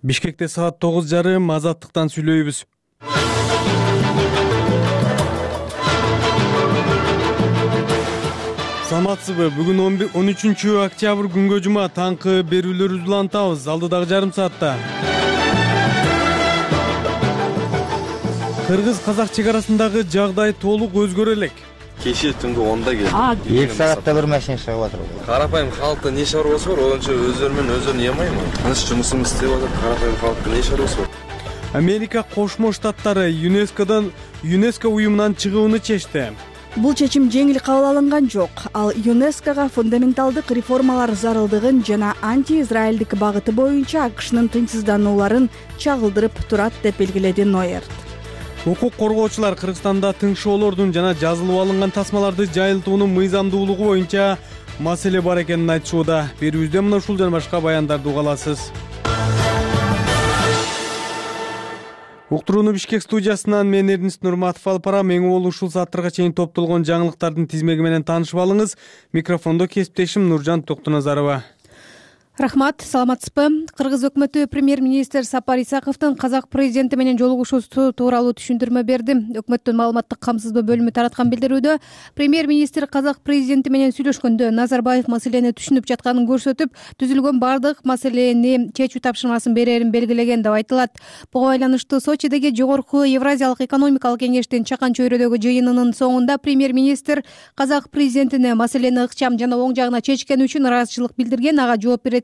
Бишкекте саат 9:30 Азаттыктан сүйлөйбүз. Саламатсызбы? Бүгүн 13-октябрь күнгө жума таңкы берүүлөрүбүздү улантабыз. Алдыдагы жарым саатта Кыргыз-казак чек арасындагы жагдай толук өзгөрө элек. Кеше түндө 10-да келди. 2 саатта бир машина чыгып атыр. Карапайым халыкта не шаруасы бар? Ончо өздөрү менен өздөрүн ямайбы? Тыныч жумусун иштеп атат. Карапайым халыкта не шаруасы бар? Америка Кошмо Штаттары ЮНЕСКО уюмунан чыгууну чечти. Бул чечим жеңил кабыл алынган жок. Ал ЮНЕСКОга фундаменталдык реформалар зарылдыгын жана анти-израилдик багыты боюнча АКШнын тынчсызданууларын чагылдырып турат деп белгиледи Нойерт. Укук коргоочулар Кыргызстанда тыңшоолордун жана жазылып алынган тасмаларды жайылтуунун мыйзамдуулугу боюнча маселе бар экенин айтышууда. Берүүбүздө мына ушул жана башка баяндарды уга аласыз. Уктурууну Бишкек студиясынан мен Эрдинис Нурматов алып барам. Эң болуу ушул сааттарга чейин топтолгон жаңылыктардын тизмеги менен таанышып алыңыз. Микрофондо кесиптешим Нуржан Токтоназарова. Рахмат, саламатсызбы? Кыргыз өкмөтү премьер-министр Сапар Исаковдун казак президенти менен жолугушуусу тууралуу түшүндүрмө берди. Өкмөттүн маалыматтык камсыздоо бөлүмү тараткан билдирүүдө премьер-министр казак президенти менен сүйлөшкөндө Назарбаев маселени түшүнүп жатканын көрсөтүп, түзүлгөн бардык маселени чечүү тапшырмасын берерин белгилеген деп айтылат. Буга байланыштуу Сочидеги жогорку Евразиялык экономикалык кеңештин чакан чөйрөдөгү жыйынынын соңунда премьер-министр казак президентине маселени ыкчам жана оң жагына чечкени үчүн ыраазычылык билдирген. Ага жооп берет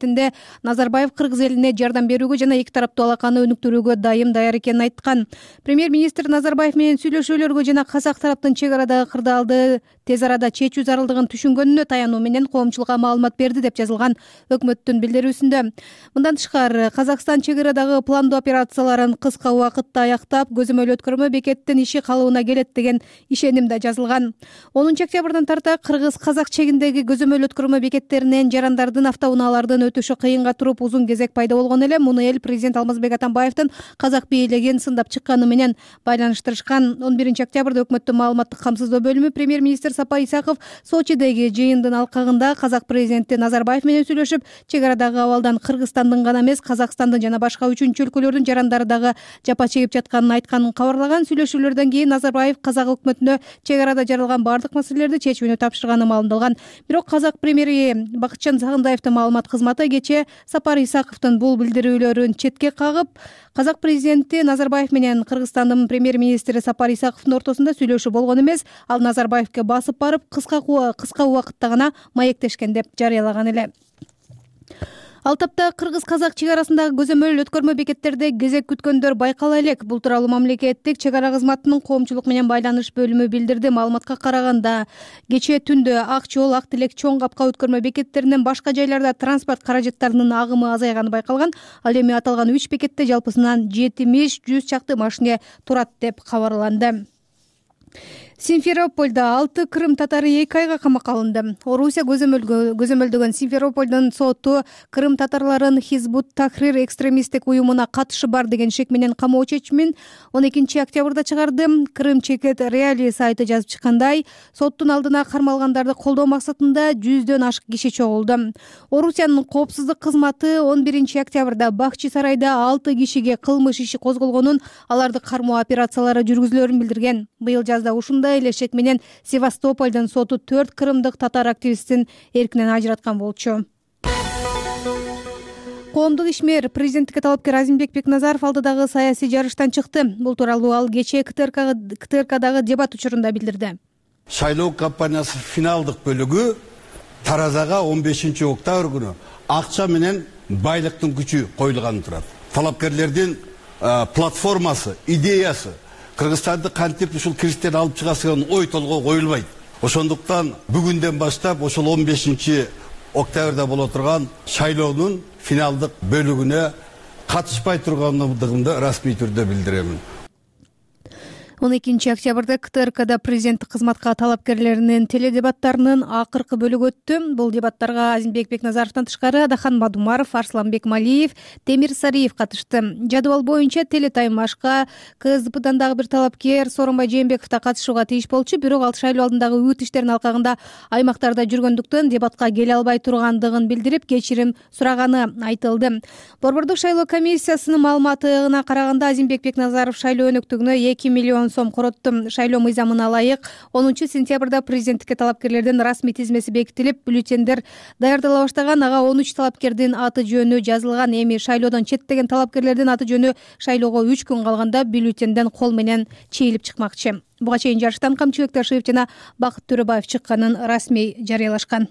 Назарбаев Кыргыз элине жардам берүүгө жана эки тараптуу алаканы өнүктүрүүгө даяр экенин айткан. Премьер-министр Назарбаев менен сүйлөшүүлөргө жана казак тараптын чек арадагы кырдаалды тез арада чечүү зарылдыгын түшүнгөнүнө таянуу менен коомчулукка маалымат берди деп жазылган өкмөттүн билдирүүсүндө. Мындан тышкары Казакстан чек арадагы пландуу операцияларын кыска убакытта аяктап, көзөмөл өткөрмө бекеттин иши калыбына келет деген ишеним да жазылган. 10-октябрдан тарта Кыргыз-казак чегиндеги көзөмөл өткөрмө бекеттеринен жарандардын автоунаалардын өтүшү кыйынга туруп узун кезек пайда болгон эле. Муну эл президент Алмазбек Атамбаевдин казак бийлигин сындап чыкканы менен байланыштырышкан. 11-октябрда өкмөттүн маалыматтык камсыздоо бөлүмү премьер-министр Сапар Исаков Сочидеги жыйындын алкагында казак президенти Назарбаев менен сүйлөшүп, чек арадагы абалдан Кыргызстандын гана эмес, Казакстандын жана башка үчүнчү өлкөлөрдүн жарандары дагы жапа чегип жатканын айтканын кабарлаган. Сүйлөшүүлөрдөн кийин Назарбаев казак өкмөтүнө чек арада жаралган бардык маселелерди чечүүнү тапшырганы маалымдалган. Бирок казак премьери Бакытжан Сагындаевдин маалымат кызматы кечээ Сапар Исаковдун бул билдирүүлөрүн четке кагып, казак президенти Назарбаев менен Кыргызстандын премьер-министри Сапар Исаковдун ортосунда сүйлөшүү болгон эмес, ал Назарбаевге басып барып кыска убакытта гана маектешкен деп жарыялаган эле. Ал тапта Кыргыз-казак чек арасындагы көзөмөл өткөрмө бекеттерде кезек күткөндөр байкала элек. Бул тууралуу мамлекеттик чек ара кызматынын коомчулук менен байланыш бөлүмү билдирди. Маалыматка караганда, кечээ түндө Ак Жол, Ак Тилек, Чоң Капка өткөрмө бекеттеринен башка жайларда транспорт каражаттарынын агымы азайганы байкалган. Ал эми аталган 3 бекетте жалпысынан 70-100 чакты машина турат деп кабарланды. Симферопольдо 6 Крым татары 2 айга камакка алынды. Орусия көзөмөлдөгөн Симферопольдун соту Крым татарларын Хизбут Тахрир экстремисттик уюмуна катышы бар деген шек менен камоо чечимин 12-октябрда чыгарды. Крым Чекет Реали сайты жазып чыккандай, соттун алдына кармалгандарды колдоо максатында 100дөн ашык киши чогулду. Орусиянын коопсуздук кызматы 11-октябрда Бакчы сарайда 6 кишиге кылмыш иши козголгонун, аларды кармоо операциялары жүргүзүлөрүн билдирген. Быйыл жазда ушундай эле шек менен Севастополдун соту 4 крымдык татар активистин эркинен ажыраткан болчу. Коомдук ишмер президенттикке талапкер Азимбек Бекназаров алдыдагы саясий жарыштан чыкты. Бул тууралуу ал кечээ КТРКдагы дебат учурунда билдирди. Шайлоо кампаниясы финалдык бөлүгү Таразага 15-октябрь күнү акча менен байлыктын күчү коюлганы турат. Талапкерлердин платформасы, идеясы Кыргызстанды кантип ушул кириштерди алып чыгасы деген ой толгоо коюлбайт. Ошондуктан бүгүндөн баштап ошол 15-октябрда боло турган шайлоонун финалдык бөлүгүнө катышпай тургандыгымды расмий түрдө билдиремин. 12 октябрда КТРКда президенттик кызматка талапкерлеринин теледебаттарынын акыркы бөлүгү өттү. Бул дебаттарга Азимбек Бекназаровдон тышкары Адахан Мадумаров, Арсланбек Малиев, Темир Сариев катышты. Жадыбал боюнча телетаймашка КСДПдан дагы бир талапкер Сооронбай Жээнбеков да катышууга тийиш болчу, бирок ал шайлоо алдындагы үгүт иштеринин алкагында аймактарда жүргөндүктөн дебатка келе албай тургандыгын билдирип, кечирим сураганы айтылды. Борбордук шайлоо комиссиясынын маалыматына караганда Азимбек Бекназаров шайлоо өнөктүгүнө 2 миллион сом коротту. Шайлоо мыйзамына ылайык 10 сентябрда президенттикке талапкерлердин расмий тизмеси бекитилип, бюллетендер даярдала баштаган. Ага 13 талапкердин аты жөнү жазылган. Эми шайлоодон четтеген талапкерлердин аты жөнү шайлоого 3 күн калганда бюллетенден кол менен чейилип чыкмакчы. Буга чейин жарыштан Камчыбек Ташиев жана Бакыт Төрөбаев чыкканын расмий жарыялашкан.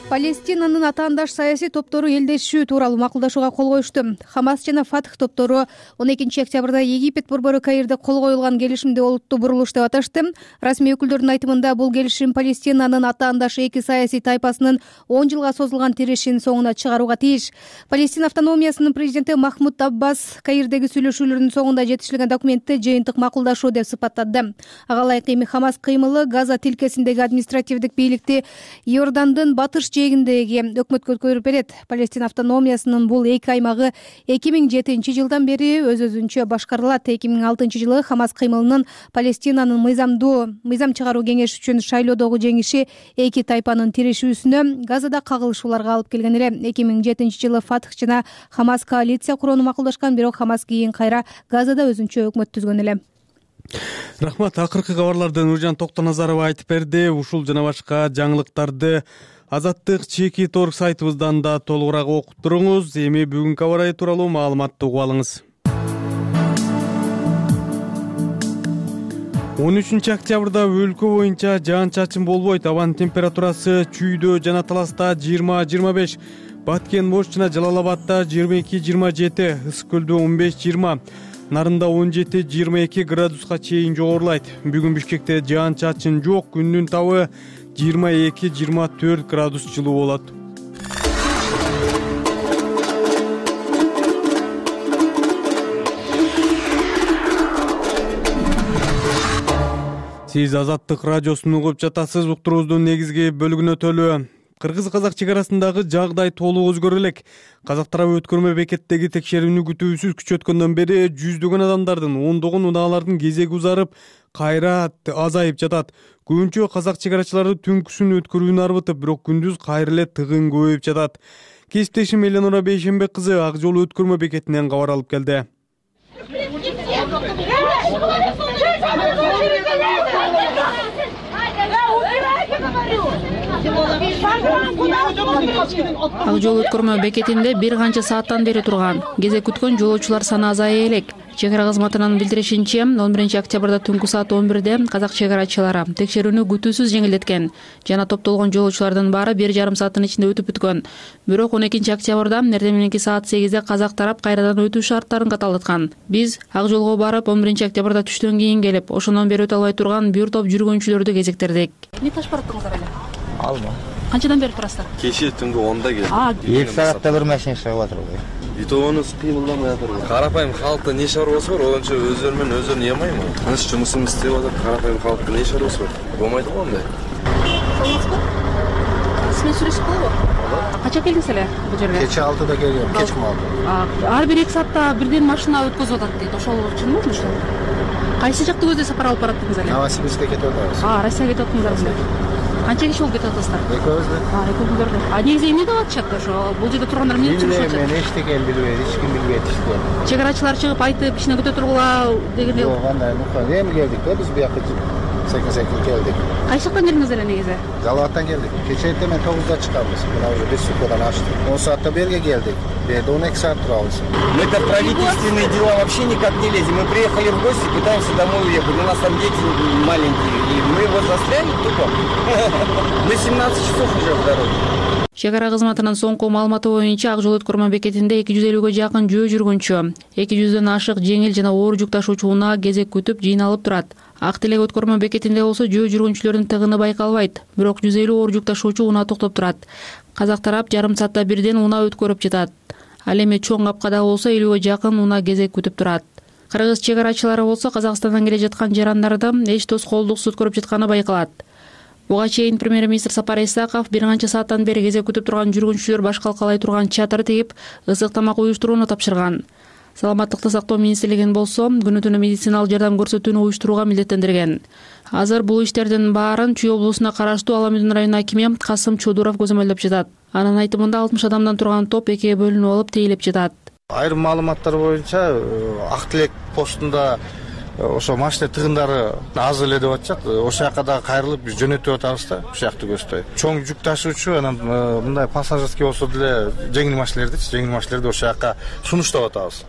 Палестинанын атаандаш саясий топтору элдешүү тууралуу макулдашууга кол коюшту. Хамас жана Фатх топтору 12 октябрда Египет борбору Каирде кол коюлган келишимди олуттуу бурулуш деп аташты. Расмий өкүлдөрдүн айтымында бул келишим Палестинанын атаандаш эки саясий тайпасынын 10 жылга созулган тирешин соңуна чыгарууга тийиш. Палестина автономиясынын президенти Махмуд Аббас Каирдеги сүйлөшүүлөрдүн соңунда жетишилген документти жыйынтык макулдашуу деп сыпаттады. Ага ылайык эми Хамас кыймылы Газа тилкесиндеги административдик бийликти Иордандын батыш жээгиндеги өкмөткө өткөрүп берет. Палестина автономиясынын бул эки аймагы 2007 жылдан бери өз-өзүнчө башкарылат. 2006 жылы Хамас кыймылынын Палестинанын мыйзам чыгаруу кеңеши үчүн шайлоодогу жеңиши эки тайпанын тирешүүсүнө, Газада кагылышууларга алып келген эле. 2007 жылы Фатх жана Хамас коалиция курууну макулдашкан, бирок Хамас кийин кайра Газада өзүнчө өкмөт түзгөн эле. Рахмат. Акыркы кабарларды Нуржан Токтоназарова айтып берди. Ушул жана башка жаңылыктарды Азаттык чеки торг сайтыбыздан да толугураак окуп туруңуз. Эми бүгүнкү аба ырайы тууралуу маалыматты угуп алыңыз. 13 октябрда өлкө боюнча жаан-чачын болбойт. Абанын температурасы Чүйдө жана Таласта 20-25, Баткен, Ош жана Жалал-Абадда 22-27, Ысык көлдө 15-20, Нарында 17-22 градуска чейин жогорулайт. Бүгүн Бишкекте жаан-чачын жок, күндүн табы 22-24 градус жылуу болот. Сиз Азаттык радиосун угуп жатасыз. Уктуруубуздун негизги бөлүгүнө өтөлү. Кыргыз-казак чек арасындагы жагдай толук өзгөрө элек. Казак тарабы өткөрмө бекеттеги текшерүүнү күтүүсүз күчөткөндөн бери жүздөгөн адамдардын, ондогон унаалардын кезеги узарып, кайра азайып жатат. Көбүнчө казак чек арачылары түнкүсүн өткөрүүнү арбытып, бирок күндүз кайра эле тыгын көбөйүп жатат. Кесиптешим Эленора Бейшембек кызы Ак жол өткөрмө бекетинен кабар алып келди. Ак жол өткөрмө бекетинде бир канча сааттан бери турган. Кезек күткөн жолоочулар саны азая элек. Чек ара кызматынын билдиришинче, 11 октябрда түнкү саат 11де казак чек арачылары текшерүүнү күтүүсүз жеңилдеткен жана топтолгон жолоочулардын баары 1,5 сааттын ичинде өтүп бүткөн. Бирок 12 октябрда эртең мененки саат 8де казак тарап кайрадан өтүү шарттарын каталдаткан. Биз Ак жолго барып 11 октябрда түштөн кийин келип, ошондон бери өтө албай турган бир топ жүргүнчүлөрдү кезектердик. Эмне таш бараттыңыздар эле? Алма. Канчадан бери турасыздар? Кеше түнкү 10да келдим. 2 саатта бир машина чыгып атыр. Битоонубуз кыймылдамай атыр. Карапайым халыкта не шаруасы бар, олончо өздөрү менен өздөрүн ыймайм. Тыныч жумусумду иштеп атып, карапайым халыкта не шаруасы бар? Болмойт го андай. Саламатсызбы? Сиз менен сүйлөшүп болобу? Кача келдиңиз эле бул жерге? Кече 6да келгем, кечки малды. Ар бир 2 саатта бирден машина өткөзүп атат дейт. Ошол чынбы ошол? Кайсы жакты көздөй сапар алып бараттыңыз эле? Новосибирскке кетип атабыз. Россияга кетип аттыңыздар. Канча киши болуп кетип атасыздар? Экөөбүздө. Экөөбүздөрдө. Негизи эмне деп атышат ошо? Бул жерде тургандар эмне деп атышат? Мен эчтеке билбейт, эч ким билбейт ишти. Чек арачылар чыгып айтып, кичине көтө тургула дегенде. Жок, андай нукка. Эми келдик да биз бияка секин келдик. Кайсы жактан келдиңиз эле негизи? Жалал-Абадтан келдик. Кече эртең 9да чыкабыз. Мына уже бир суткадан ашты. 10 саатта берге келдик. Берде 12 саат турабыз. Мы-то в правительственные дела вообще никак не лезем. Мы приехали в гости, пытаемся домой уехать. У нас там дети маленькие, и мы вот застряли тупо. Мы 17 часов уже в дороге. Чек ара кызматынын соңку маалыматы боюнча Ак жол өткөрмө бекетинде 250ге жакын жөө жүргүнчү, 200дөн ашык жеңил жана оор жүк ташуучу унаа кезек күтүп жыйналып турат. Ак Телек өткөрмө бекетинде болсо жөө жүргүнчүлөрдүн тыгыны байкалбайт, бирок 150 оор жүк ташуучу унаа токтоп турат. Казак тарап жарым саатта бирден унаа өткөрүп жатат. Ал эми чоң капкада болсо 50ге жакын унаа кезек күтүп турат. Кыргыз чек арачылары болсо Казакстандан келе жаткан жарандарды эч тоскоолдуксуз көрүп жатканы байкалат. Буга чейин премьер-министр Сапар Исаков бир канча сааттан бери кезек күтүп турган жүргүнчүлөр баш калкалай турган чатыр тигип, ысык тамак уюштурууну тапшырган. Саламаттыкты сактоо министрлигин болсо күнү түнү медициналык жардам көрсөтүүнү уюштурууга милдеттендирген. Азыр бул иштердин баарын Чүй облусуна караштуу Ала Мөдөн районунун акими Касым Чодуров көзөмөлдөп жатат. Анын айтымында 60 адамдан турган топ экиге бөлүнүп алып тейлеп жатат. Айрым маалыматтар боюнча Ак Тилек постунда ошо машина тыгындары аз эле деп атышат. Ошол жака да кайрылып биз жөнөтүп атабыз да, ушул жакты көздөй. Чоң жүк ташуучу анан мындай пассажирский болсо деле жеңил машиналерди ошол жака сунуштап атабыз.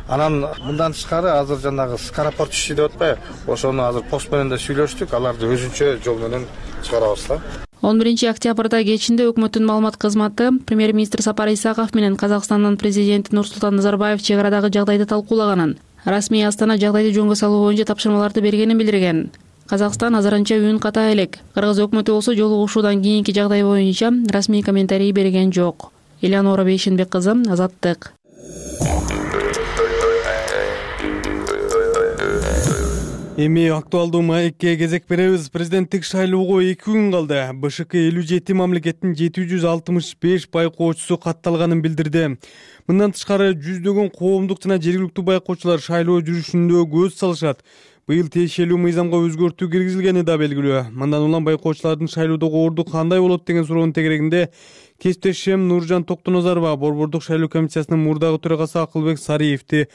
Анан мындан тышкары азыр жанагы скоропорт иши деп атпайбы? Ошону азыр пост менен да сүйлөштүк, аларды өзүнчө жол менен чыгарабыз да. 11 октябрда кечинде өкмөттүн маалымат кызматы премьер-министр Сапар Исаков менен Казакстандын президенти Нурсултан Назарбаев чек арадагы жагдайды талкуулаганын, расмий Астана жагдайды жөнгө салуу боюнча тапшырмаларды бергенин билдирген. Казакстан азырынча үн ката элек. Кыргыз өкмөтү болсо жолугушуудан кийинки жагдай боюнча расмий комментарий берген жок. Элеонора Бейшенбек кызы, Азаттык. Эми актуалдуу маекке кезек беребиз. Президенттик шайлоого 2 күн калды. БШК 57 мамлекеттин 765 байкоочусу катталганын билдирди. Мындан тышкары жүздөгөн коомдук жана жергиликтүү байкоочулар шайлоо жүрүшүндө көз салышат. Быйыл тиешелүү мыйзамга өзгөртүү киргизилгени да белгилүү. Мындан улам байкоочулардын шайлоодогу орду кандай болот деген суроонун тегерегинде кесиптешим Нуржан Токтоназарова борбордук шайлоо комиссиясынын мурдагы төрагасы Акылбек Сариевди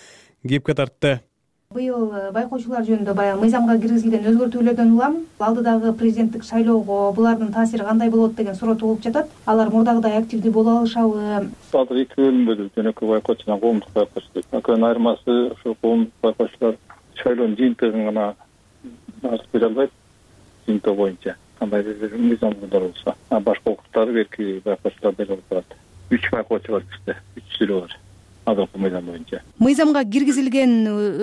кепке тартты. Быйыл байкоочулар жөнүндө баягы мыйзамга киргизилген өзгөртүүлөрдөн улам алдыдагы президенттик шайлоого булардын таасири кандай болот деген суроо туулуп жатат. Алар мурдагыдай активдүү боло алышабы? Азыр 2 бөлүнбөдү, жөнөкөй байкоочу жана коомдук байкоочу. Экөөнүн айырмасы ошо коомдук байкоочулар шайлоонун жыйынтыгын гана арыз бере албайт, жыйынтыгы боюнча кандай бир мыйзамдуулар болсо. Башка укуктарды берки байкоочулар бере алат. 3 байкоочу бар бизде, 3 сүрөө бар. Азыркы мыйзам боюнча. Мыйзамга киргизилген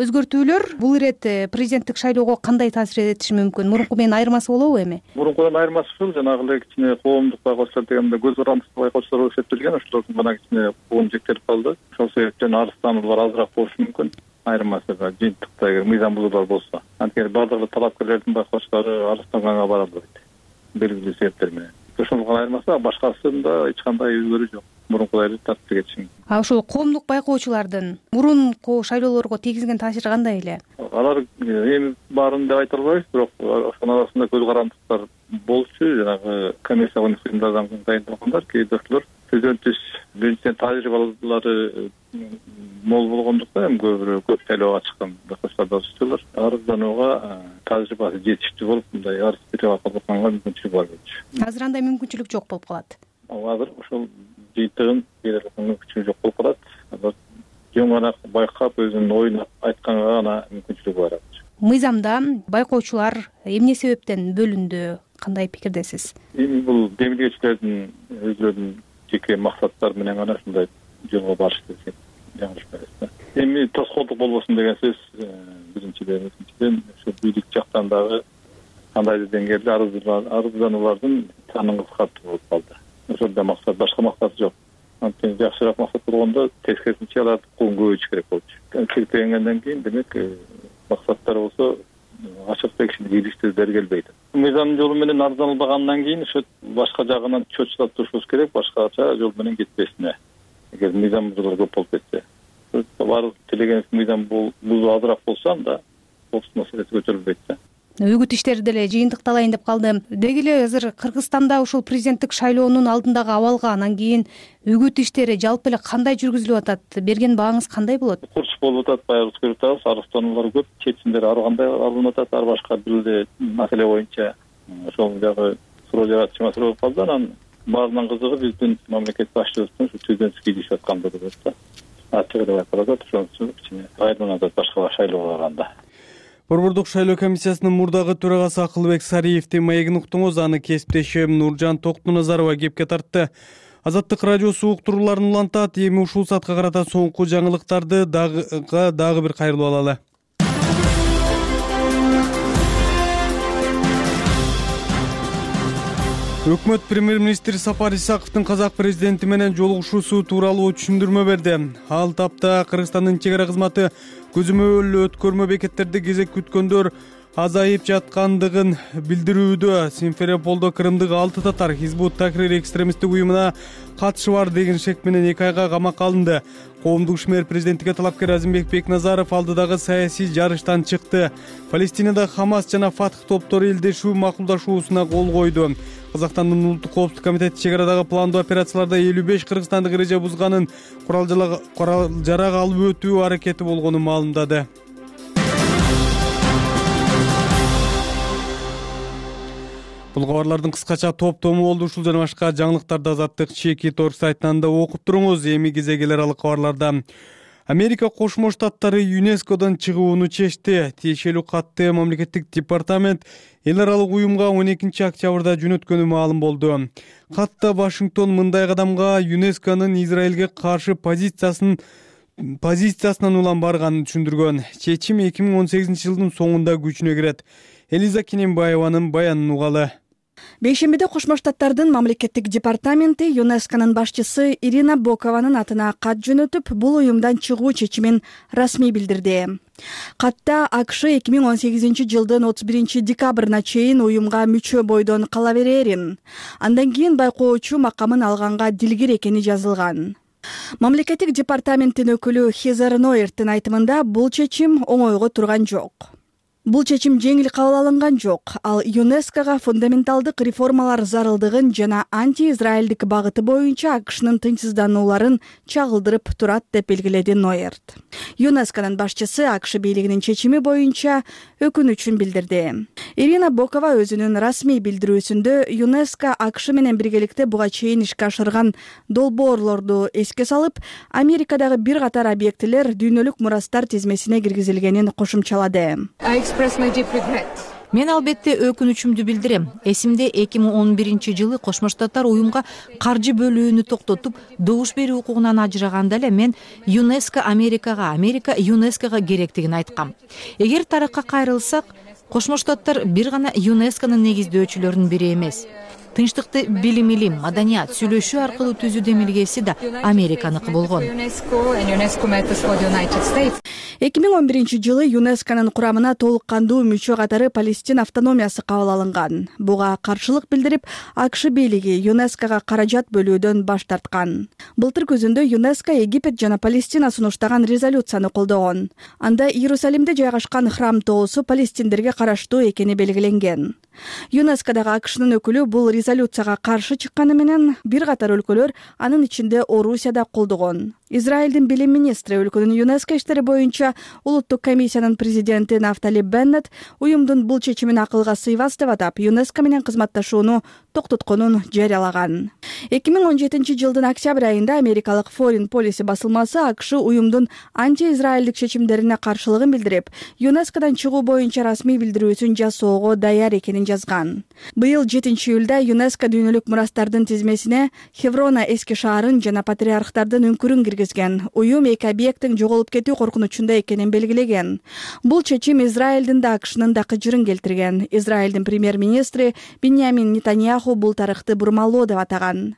өзгөртүүлөр бул ирет президенттик шайлоого кандай таасир этиши мүмкүн? Мурунку менен айырмасы болобу эми? Мурункудан айырмасы ушул, жанагы эле кичине коомдук байкоочулар дегенде көз карандысыз байкоочулар болуп эсептелген, ошолордун гана кичине коом жектелип калды. Ошол себептен арыздануулар азыраак болушу мүмкүн. Айырмасы жыйынтыкта мыйзам бузуулар болсо. Анткени бардыгы талапкерлердин байкоочулары арызданганга бара албайт. Белгилүү себептер менен. Ошондо гана айырмасы, башкасында эч кандай өзгөрүү жок. Мурункудай эле тартып кетишим. Ошол коомдук байкоочулардын мурунку шайлоолорго тийгизген таасири кандай эле? Алар эми баарын деп айта албайбыз, бирок ошонун арасында көз карандыктар болчу. Жанагы комиссия кыймдардан дайындалгандар, кээ бирөөлөр төзөнтүш биринчиден тажрыйбалары мол болгондуктан көп шайлоого чыккан байкоочулар да болчулар. Арызданууга тажрыйбасы жетиштүү болуп, мындай арыз бере алганга мүмкүнчүлүк бар болчу. Азыр андай мүмкүнчүлүк жок болуп калат. Азыр ошол жыйынтыгын бере алган мүмкүнчүлүк жок болуп калат. Азыр жөн гана байкап өзүнүн оюн айтканга гана мүмкүнчүлүк бар. Мыйзамда байкоочулар эмне себептен бөлүндү? Кандай пикирдесиз? Эми бул демилгечилердин өзүлөрүнүн жеке максаттары менен гана ушундай жолго барышты десек жаңылышпайбыз. Эми тоскоолдук болбосун деген сөз биринчиден, экинчиден ошо бийлик жактан дагы кандайдыр деңгээлде арыздануулардын санын кыскартуу болуп калды. Ошол да максат, башка максаты жок. Анткени жакшыраак максат болгондо тескерисинче аларды көбөйтүш керек болчу. Чектелгенден кийин демек максаттар болсо ачыкта кишини кийлиштүү бергилбейт. Мыйзам жолу менен арызданылбагандан кийин ошо башка жагынан чоочулап турушубуз керек, башкача жол менен кетпесине. Эгер мыйзам бузуулар көп болуп кетсе, баары тилегенибиз мыйзам бузуу азыраак болсо анда коопсуздук маселеси көтөрүлбөйт да. Үгүт иштери деле жыйынтыкталайын деп калды. Деги эле азыр Кыргызстанда ушул президенттик шайлоонун алдындагы абалга, анан кийин үгүт иштери жалпы эле кандай жүргүзүлүп атат? Берген бааңыз кандай болот? Курч болуп атат, баягы көрүп атабыз, арыздануулар көп, чечимдер ар кандай алынып атат, ар башка бир эле маселе боюнча. Ошол жагы суроо жаратчу маселе болуп калды. Анан баарынан кызыгы биздин мамлекет башчыбыздын түздөн кийилишип аткандыгы да. Ачык деп айтып атат, ошон үчүн кичине айырмаланып атат башка шайлоолор анда. Борбордук шайлоо комиссиясынын мурдагы төрагасы Акылбек Сариевдин маегин уктуңуз, аны кесиптешим Нуржан Токтоназарова кепке тартты. Азаттык радиосу уктурууларын улантат. Эми ушул саатка карата соңку жаңылыктарды дагы бир кайрылып алалы. Өкмөт премьер-министр Сапар Исаковдун казак президенти менен жолугушуусу тууралуу түшүндүрмө берди. Ал тапта Кыргызстандын чек ара кызматы көзөмөл өткөрмө бекеттерде кезек күткөндөр азайып жаткандыгын билдирүүдө. Симферополдо Крымдык 6 татар Хизбут Тахрир экстремисттик уюмуна катышы бар деген шек менен 2 айга камакка алынды. Коомдук ишмер президенттикке талапкер Азимбек Бекназаров алдыдагы саясий жарыштан чыкты. Палестинада Хамас жана Фатх топтору элдешүү макулдашуусуна кол койду. Казакстандын улуттук коопсуздук комитети чек арадагы пландуу операцияларда 55 кыргызстандык эреже бузганын, курал жарак алып өтүү аракети болгонун маалымдады. Бул кабарлардын кыскача топтому болду. Ушул жана башка жаңылыктарды Азаттык Чеки.org сайтынан да окуп туруңуз. Эми кезеги эл аралык кабарларда. Америка Кошмо Штаттары ЮНЕСКОдон чыгууну чечти. Тиешелүү катты мамлекеттик департамент эл аралык уюмга 12 октябрда жөнөткөнү маалым болду. Катта Вашингтон мындай кадамга ЮНЕСКонун Израилге каршы позициясынан улам барганын түшүндүргөн. Чечим 2018-жылдын соңунда күчүнө кирет. Элиза Кененбаеванын баянын угалы. Бейшембиде Кошмо Штаттардын мамлекеттик департаменти ЮНЕСКонун башчысы Ирина Бокованын атына кат жөнөтүп, бул уюмдан чыгуу чечимин расмий билдирди. Катта АКШ 2018-жылдын 31 декабрына чейин уюмга мүчө бойдон кала берерин, андан кийин байкоочу макамын алганга дилгир экени жазылган. Мамлекеттик департаменттин өкүлү Хезер Нойерттин айтымында бул чечим оңойго турган жок. Бул чечим жеңил кабыл алынган жок. Ал ЮНЕСКога фундаменталдык реформалар зарылдыгын жана анти-израилдик багыты боюнча АКШнын тынчсызданууларын чагылдырып турат деп белгиледи Нойерт. ЮНЕСКонун башчысы АКШ бийлигинин чечими боюнча өкүнүчүн билдирди. Ирина Бокова өзүнүн расмий билдирүүсүндө ЮНЕСКо АКШ менен биргеликте буга чейин ишке ашырган долбоорлорду эске салып, Америкадагы бир катар объектилер дүйнөлүк мурастар тизмесине киргизилгенин кошумчалады. Мен албетте өкүнүчүмдү билдирем. Эсимде 2011-жылы Кошмо Штаттар уюмга каржы бөлүүнү токтотуп, добуш берүү укугунан ажыраганда эле мен ЮНЕСКо Америка ЮНЕСКого керектигин айткам. Эгер тарыхка кайрылсак, Кошмо Штаттар бир гана ЮНЕСКонун негиздөөчүлөрүнүн бири эмес. Тынчтыкты билим, маданият, сүйлөшүү аркылуу түзүү демилгеси да Американыкы болгон. 2011-жылы ЮНЕСКонун курамына толук кандуу мүчө катары Палестин автономиясы кабыл алынган. Буга каршылык билдирип, АКШ бийлиги ЮНЕСКого каражат бөлүүдөн баш тарткан. Былтыр күзүндө ЮНЕСКо Египет жана Палестина сунуштаган резолюцияны колдогон. Анда Иерусалимде жайгашкан храм тоосу палестиндерге караштуу экени белгиленген. ЮНЕСКодагы АКШнын өкүлү бул резолюцияга каршы чыкканы менен бир катар өлкөлөр, анын ичинде Орусия да колдогон. Израилдин билим министри өлкөнүн ЮНЕСКо иштери боюнча улуттук комиссиянын президенти Нафтали Беннет уюмдун бул чечимин акылга сыйбас деп атап, ЮНЕСКо менен кызматташууну токтотконун жарыялаган. 2017-жылдын октябрь айында америкалык Foreign Policy басылмасы АКШ уюмдун анти-израилдик чечимдерине каршылыгын билдирип, ЮНЕСКодон чыгуу боюнча расмий билдирүүсүн жасоого даяр экенин жазган. Быйыл 7-июлда ЮНЕСКо дүйнөлүк мурастардын тизмесине Хеврона эски шаарын жана патриархтардын үңкүрүн киргизген. Уюм эки объекттин жоголуп кетүү коркунучунда экенин белгилеген. Бул чечим Израилдин да АКШнын да кыжырын келтирген. Израилдин премьер-министри Биньямин Нетаньяху бул тарыхты бурмалоо деп атаган.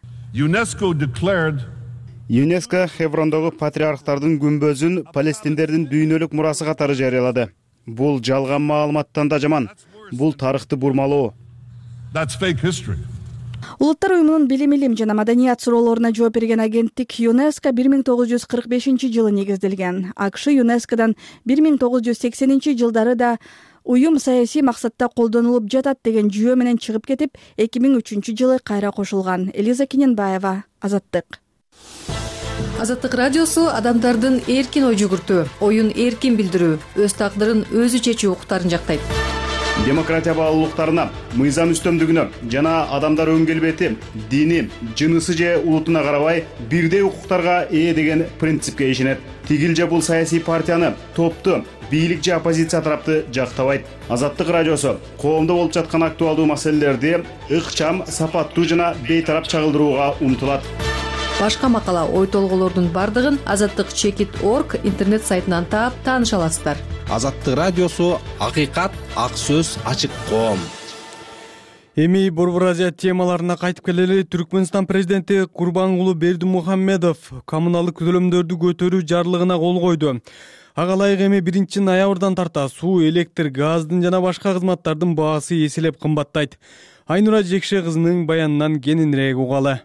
ЮНЕСКо Хеврондогу патриархтардын күмбөзүн палестиндердин дүйнөлүк мурасы катары жарыялады. Бул жалган маалыматтан да жаман. Бул тарыхты бурмалоо. Улуттар уюмунун билим жана маданият суроолоруна жооп берген агенттик ЮНЕСКо 1945-жылы негизделген. АКШ ЮНЕСКодон 1980-жылдары да уюм саясий максатта колдонулуп жатат деген жүйө менен чыгып кетип, 2003-жылы кайра кошулган. Элиза Кененбаева, Азаттык. Азаттык радиосу адамдардын эркин ой жүгүртүү, оюн эркин билдирүү, өз тагдырын өзү чечүү укуктарын жактайт. Демократия баалуулуктарына, мыйзам үстөмдүгүнө жана адамдар өн келбети, дини, жынысы же улутуна карабай бирдей укуктарга ээ деген принципке ишенет. Тигил же бул саясий партияны, топту, бийлик же оппозиция тарапты жактабайт. Азаттык радиосу коомдо болуп жаткан актуалдуу маселелерди ыкчам, сапаттуу жана бейтарап чагылдырууга умтулат. Башка макала, ой толголордун бардыгын Азаттык Чекит.org интернет сайтынан таап тааныша аласыздар. Азаттык радиосу акыйкат, ак сөз, ачык коом. Эми Борбор Азия темаларына кайтып келели. Түркмөнстан президенти Курбангулу Бердимухамедов коммуналдык төлөмдөрдү көтөрүү жарлыгына кол койду. Ага ылайык эми 1-ноябрдан тарта суу, электр, газдын жана башка кызматтардын баасы эселеп кымбаттайт. Айнура Жекше кызынын баянынан кененирээк угалы.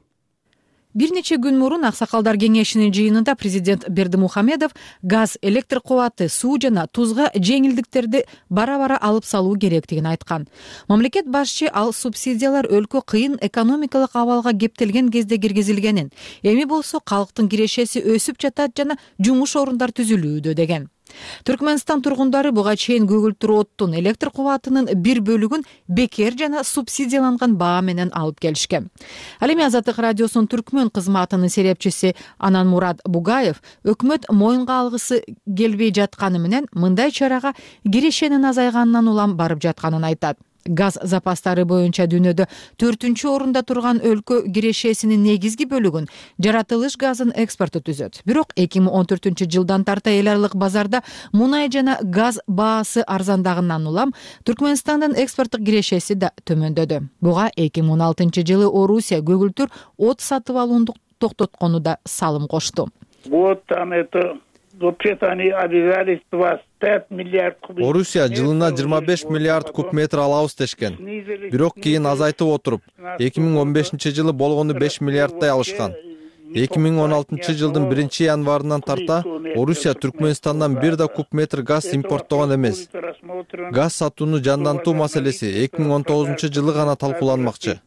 Бир нече күн мурун Аксакалдар кеңешинин жыйынында президент Бердимухамедов газ, электр кубаты, суу жана тузга жеңилдиктерди бара-бара алып салуу керектигин айткан. Мамлекет башчы ал субсидиялар өлкө кыйын экономикалык абалга кептелген кезде киргизилгенин, эми болсо калктын кирешеси өсүп жатат жана жумуш орундар түзүлүүдө деген. Түркмөнстан тургундары буга чейин көгүлтүр оттун, электр кубатынын бир бөлүгүн бекер жана субсидияланган баа менен алып келишкен. Ал эми Азаттык радиосунун түркмөн кызматынын серепчиси Ананмурат Бугаев өкмөт моюнга алгысы келбей жатканы менен мындай чарага кирешенин азайганынан улам барып жатканын айтат. Газ запастары боюнча дүйнөдө 4-орунда турган өлкө кирешесинин негизги бөлүгүн жаратылыш газын экспорту түзөт. Бирок 2014-жылдан тарта эл аралык базарда мунай жана газ баасы арзандагынан улам Түркмөнстандын экспорттук кирешеси да төмөндөдү. Буга 2016-жылы Орусия көгүлтүр от сатып алууну токтоткону да салым кошту. Орусия жылына 25 миллиард куб метр алабыз дешкен. Бирок кийин азайтып отуруп, 2015-жылы болгону 5 миллиарддай алышкан. 2016-жылдын 1-январынан тарта Орусия Түркмөнстандан бир да куб метр газ импорттогон эмес. Газ сатууну жандантуу маселеси 2019-жылы гана талкууланмакчы.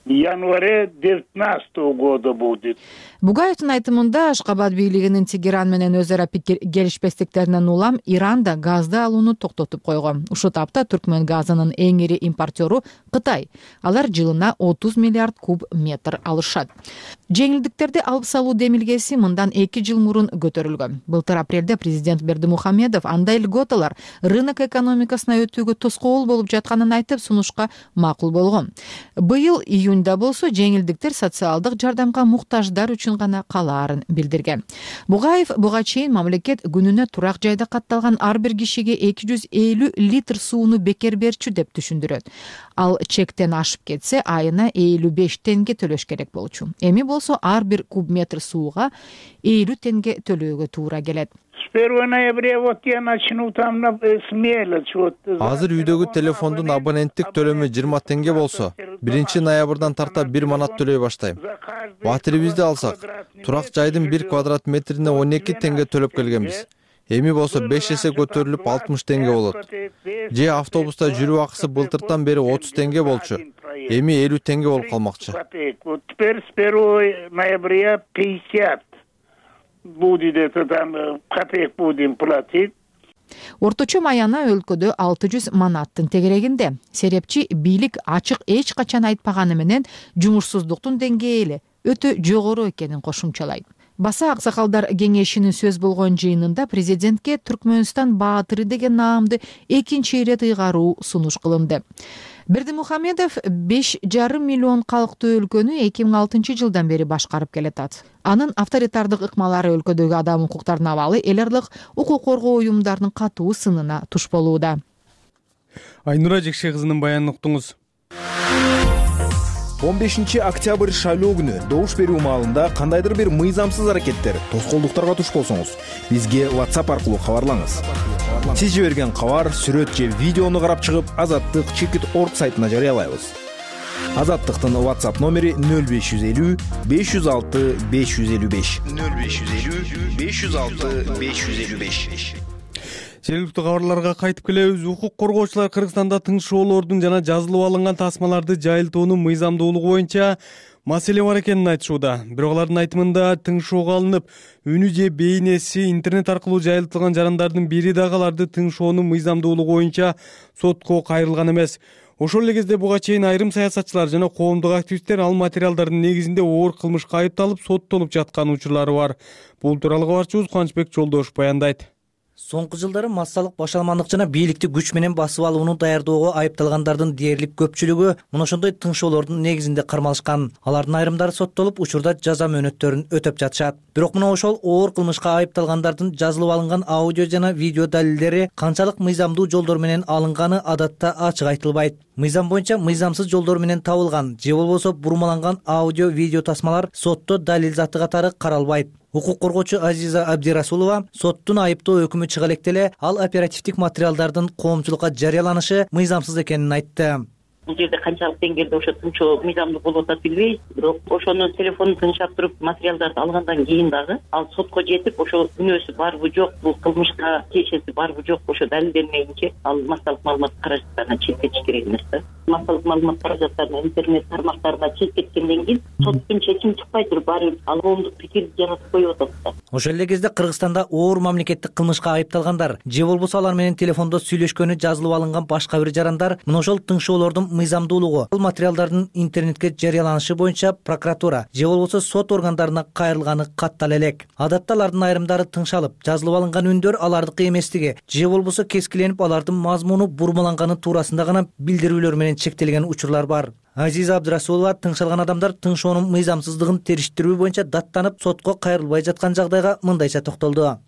Январе 19 года будет. Бугаевдин айтымында Ашкабад бийлигинин Тегеран менен өз ара пикир келишпестиктеринен улам Иран да газды алууну токтотуп койгон. Ушул тапта Түркмөн газынын эң ири импортеру Кытай. Алар жылына 30 миллиард куб метр алышат. Жеңилдиктерди алып салуу демилгеси мындан 2 жыл мурун көтөрүлгөн. Былтыр апрелде президент Бердимухамедов андай льготалар рынок экономикасына өтүүгө тоскоол болуп жатканын айтып сунушка макул болгон. Быйыл июнда болсо жеңилдиктер социалдык жардамга муктаждар үчүн гана калаарын билдирген. Бугаев буга чейин мамлекет күнүнө турак жайда катталган ар бир кишиге 250 литр сууну бекер берчү деп түшүндүрөт. Ал чектен ашып кетсе айына 55 тенге төлөш керек болчу. Эми болсо ар бир куб метр сууга 50 тенге төлөөгө туура келет. Азыр үйдөгү телефондун абоненттик төлөмү 20 тенге болсо, 1-ноябрдан тарта 1 манат төлөй баштайм. Батирибизди алсак, турак жайдын 1 квадрат метрине 12 тенге төлөп келгенбиз. Эми болсо 5 эсе көтөрүлүп 60 тенге болот. Же автобуста жүрүү акысы былтыртан бери 30 тенге болчу. Эми 50 тенге болуп калмакчы. Теперь с 1 ноября 50 будет, там копеек будем платить. Орточо маяна өлкөдө 600 манаттын тегерегинде. Серепчи бийлик ачык эч качан айтпаганы менен жумушсуздуктун деңгээли өтө жогору экенин кошумчалайт. Баса Аксакалдар кеңешинин сөз болгон жыйынында президентке Түркмөнстан баатыры деген наамды экинчи ирет ыйгаруу сунуш кылынды. Бердимухамедов 5,5 миллион калктуу өлкөнү 2006-жылдан бери башкарып келатат. Анын авторитардык ыкмалары өлкөдөгү адам укуктарына абалы эл аралык укук коргоо уюмдарынын катуу сынына туш болууда. Айнура Жекше кызынын баянын уктуңуз. 15 октябрь шайлоо күнү добуш берүү маалында кандайдыр бир мыйзамсыз аракеттер, тоскоолдуктарга туш болсоңуз, бизге WhatsApp аркылуу кабарлаңыз. Сиз жиберген кабар, сүрөт же видеону карап чыгып, Азаттык.org сайтына жарыялайбыз. Азаттыктын WhatsApp номери 0550 506 555. 0550 506 555. Жергиликтүү кабарларга кайтып келебиз. Укук коргоочулар Кыргызстанда тыңшоолордун жана жазылып алынган тасмаларды жайылтуунун мыйзамдуулугу боюнча маселе бар экенин айтышууда. Бирок алардын айтымында тыңшоого алынып, үнү же бейнеси интернет аркылуу жайылтылган жарандардын бири дагы аларды тыңшоонун мыйзамдуулугу боюнча сотко кайрылган эмес. Ошол эле кезде буга чейин айрым саясатчылар жана коомдук активисттер ал материалдардын негизинде оор кылмышка айыпталып, соттолуп жаткан учурлары бар. Бул тууралуу кабарчыбыз Кубанычбек Жолдошов баяндайт. Соңку жылдары массалык башаламандык жана бийликти күч менен басып алууну даярдоого айыпталгандардын дээрлик көпчүлүгү мына ошондой тыңшоолордун негизинде кармалышкан. Алардын айрымдары соттолуп, учурда жаза мөөнөттөрүн өтөп жатышат. Бирок мына ошол оор кылмышка айыпталгандардын жазылып алынган аудио жана видео далилдери канчалык мыйзамдуу жолдор менен алынганы адатта ачык айтылбайт. Мыйзам боюнча мыйзамсыз жолдор менен табылган же болбосо бурмаланган аудио видео тасмалар сотто далил заты катары каралбайт. Укук коргоочу Азиза Абдирасулова соттун айыптоо өкүмү чыга электе эле ал оперативдик материалдардын коомчулукка жарыяланышы мыйзамсыз экенин айтты. Бул жерде канчалык деңгээлде ошо тынчоо мыйзамдуу болуп атат билбейбиз, бирок ошону телефондун тынчап туруп материалдарды алгандан кийин дагы ал сотко жетип ошо күнөөсү барбы жок, бул кылмышка тиешеси барбы жок ошо далилденмейинче ал массалык маалымат каражаттарынан чет кетиш керек эмес да. Массалык маалымат каражаттарына интернет тармактарына чет кеткенден кийин соттун чечими чыкпай туруп баары ал коомдук пикирди жаратып коюп атат да. Ошол эле кезде Кыргызстанда оор мамлекеттик кылмышка айыпталгандар же болбосо алар менен телефондо сүйлөшкөнү жазылып алынган башка бир жарандар мына ошол тыңшоолордун мыйзамдуулугу, бул материалдардын интернетке жарыяланышы боюнча прокуратура же болбосо сот органдарына кайрылганы каттала элек. Адатта алардын айрымдары тыңшалып, жазылып алынган үндөр алардыкы эместиги же болбосо кескиленип алардын мазмуну бурмаланганы туурасында гана билдирүүлөр менен чектелген учурлар бар. Азиза Абдирасулова тыңшалган адамдар тыңшоонун мыйзамсыздыгын териштирүү боюнча даттанып сотко кайрылбай жаткан жагдайга мындайча токтолду.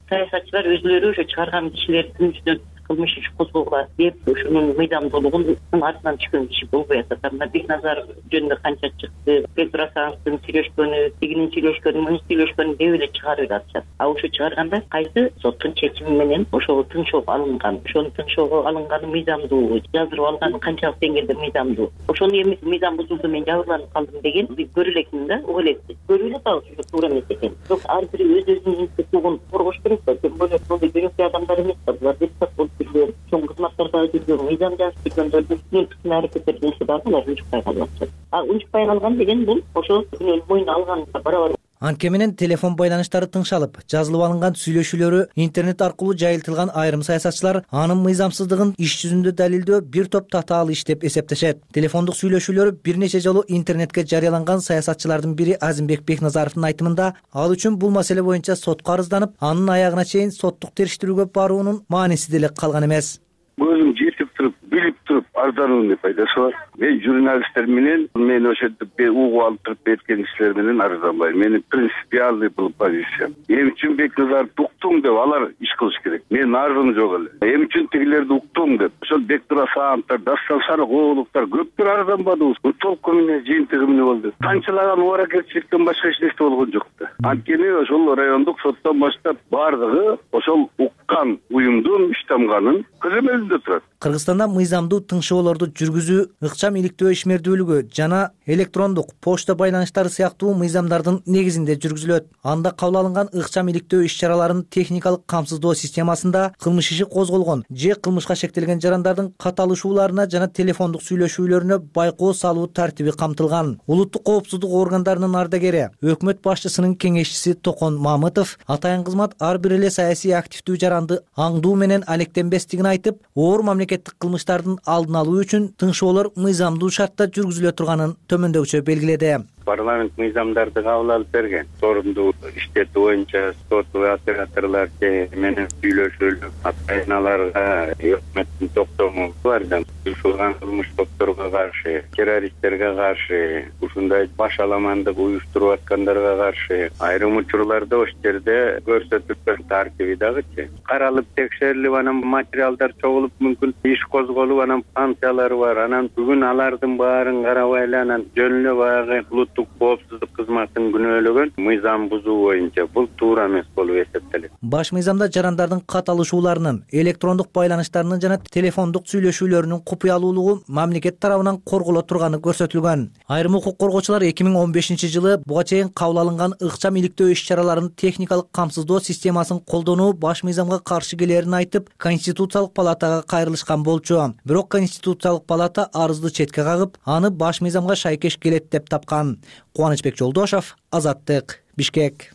Саясатчылар өзүлөрү ошо чыгарган кишилердин үстүнөн кылмыш иш козгогула деп ушунун мыйзамдуулугун артынан түшкөн киши болбой атат. Мына Бекназаров жөнүндө канча чыкты, Петр Асановдун сүйлөшкөнү, тигинин сүйлөшкөнү, мунун сүйлөшкөнү деп эле чыгарып атышат. Ошо чыгарганда кайсы соттун чечими менен ошол тыңшоого алынган, ошонун тыңшоого алынганы мыйзамдуу, жаздырып алганы канчалык деңгээлде мыйзамдуу. Ошону эми мыйзам бузулду, мен жабырланып калдым деген көрө элекмин да, угуп элекпиз. Көрүп эле атабыз ошо туура эмес экен. Бирок ар бири өз-өзүнүн укугун коргош керек да. Тем более бул жөнөкөй адамдар эмес да, булар депутат болуп жүргөн, чоң кызматтарда жүргөн, мыйзам жазып жүргөндөрдүн үстүнөн аракеттер кылышы дагы алар унчукпай калып атышат. Унчукпай калган деген бул ошол күнөөнү мойнуна алган барабар. Анткени менен телефон байланыштары тыңшалып, жазылып алынган сүйлөшүүлөрү интернет аркылуу жайылтылган айрым саясатчылар анын мыйзамсыздыгын иш жүзүндө далилдөө бир топ татаал иш деп эсептешет. Телефондук сүйлөшүүлөр бир нече жолу интернетке жарыяланган саясатчылардын бири Азимбек Бекназаровдун айтымында ал үчүн бул маселе боюнча сотко арызданып, анын аягына чейин соттук териштирүүгө баруунун мааниси деле калган эмес. Өзүм жетип туруп, билип туруп арыздануунун пайдасы бар. Мен журналисттер менен, мен ошентип угуп алып туруп берген кишилер менен арызданбайм. Менин принципиальный бул позициям. Эми үчүн Бекназаровду уктум деп алар иш кылыш керек. Менин арызым жок эле. Эми үчүн тигилерди уктум деп. Ошол Бектур Асановдор, Дастан Сарыгуловдор көптөр арызданбадыбыз. Толку менен жыйынтыгы менен болду. Канчалаган ооракетчиликтен башка эч нерсе болгон жок да. Анткени ошол райондук соттон баштап бардыгы ошол уккан уюмдун иштамганын көзөмөлүндө турат. Кыргызстанда мыйзамдуу тыңшоолорду жүргүзүү, ыкчам иликтөө ишмердүүлүгү жана электрондук почта байланыштары сыяктуу мыйзамдардын негизинде жүргүзүлөт. Анда кабыл алынган ыкчам иликтөө иш-чараларын техникалык камсыздоо системасында кылмыш иши козголгон же кылмышка шектелген жарандардын катталышууларына жана телефондук сүйлөшүүлөрүнө байкоо салуу тартиби камтылган. Улуттук коопсуздук органдарынын ардагери, өкмөт башчысынын кеңешчиси Токон Мамытов атайын кызмат ар бир эле саясий активдүү жаранды аңдуу менен алектенбестигин айтып, оор мамлекеттик кылмыштардын алдын алуу үчүн тыңшоолор мыйзамдуу шартта жүргүзүлө турганын төмөндөгүчө белгиледи. Парламент мыйзамдарды кабыл алып берген. Сорумдуу иштети боюнча соту операторлор менен сүйлөшүүлүк атайыналарга өкмөттүн токтому бар да. Ушулган кылмыш топторго каршы, террористтерге каршы, ушундай башаламандык уюштуруп аткандарга каршы айрым учурларда ошол жерде көрсөтүлгөн тартиби дагычы. Каралып текшерилип анан материалдар чогулуп мүмкүн иш козголуп анан санкциялары бар. Анан бүгүн алардын баарын карабай эле анан жөн эле баягы улуттук коопсуздук кызматын күнөөлөгөн мыйзам бузуу боюнча бул туура эмес болуп эсептелет. Баш мыйзамда жарандардын катталышууларынын, электрондук байланыштарынын жана телефондук сүйлөшүүлөрүнүн купуялуулугу мамлекет тарабынан корголо турганы көрсөтүлгөн. Айрым укук коргоочулар 2015-жылы буга чейин кабыл алынган ыкчам иликтөө иш-чараларынын техникалык камсыздоо системасын колдонуу баш мыйзамга каршы келерин айтып, Конституциялык палатага кайрылышкан болчу. Бирок Конституциялык палата арызды четке кагып, аны баш мыйзамга шайкеш келет деп тапкан. Кубанычбек Жолдошов, Азаттык, Бишкек.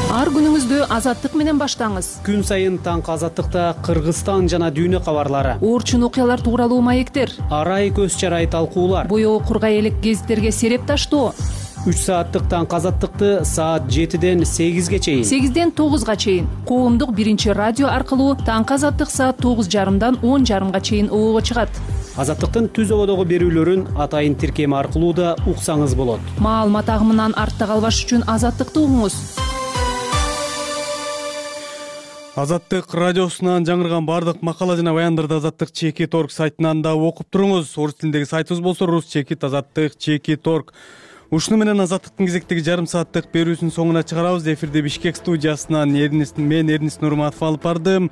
Ар күнүңүздү Азаттык менен баштаңыз. Күн сайын таңкы Азаттыкта Кыргызстан жана дүйнө кабарлары, оорчун окуялар тууралуу маектер, арай көз чарай талкуулар, боёо кургай элек гезиттерге сереп таштоо. 3 сааттык таңкы Азаттыкты саат 7-ден 8-ге чейин, 8-ден 9-га чейин коомдук биринчи радио аркылуу таңкы Азаттык саат 9:30-дан 10:30-га чейин обого чыгат. Азаттыктын түз ободогу берүүлөрүн атайын тиркем аркылуу да уксаңыз болот. Маалымат агымынан артта калбаш үчүн Азаттыкты угуңуз. Азаттык радиосунан жаңырган бардык макала жана баяндарды Азаттык Чекит.org сайтынан да окуп туруңуз. Орус тилиндеги сайтыбыз болсо Рус Чекит Азаттык Чекит.org. Ушуну менен Азаттыктын кезектеги жарым сааттык берүүсүнүн соңуна чыгарабыз. Эфирде Бишкек студиясынан мен Эрнис Нурматов алып бардым.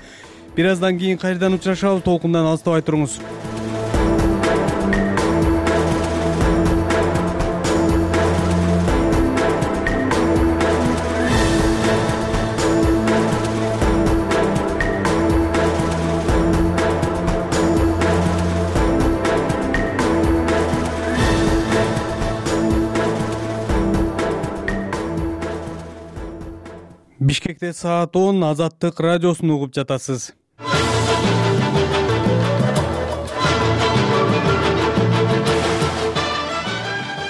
Бир аздан кийин кайрадан учурашабыз. Толкундан алыстабай туруңуз. Бишкекте саат 10, Азаттык радиосун угуп жатасыз.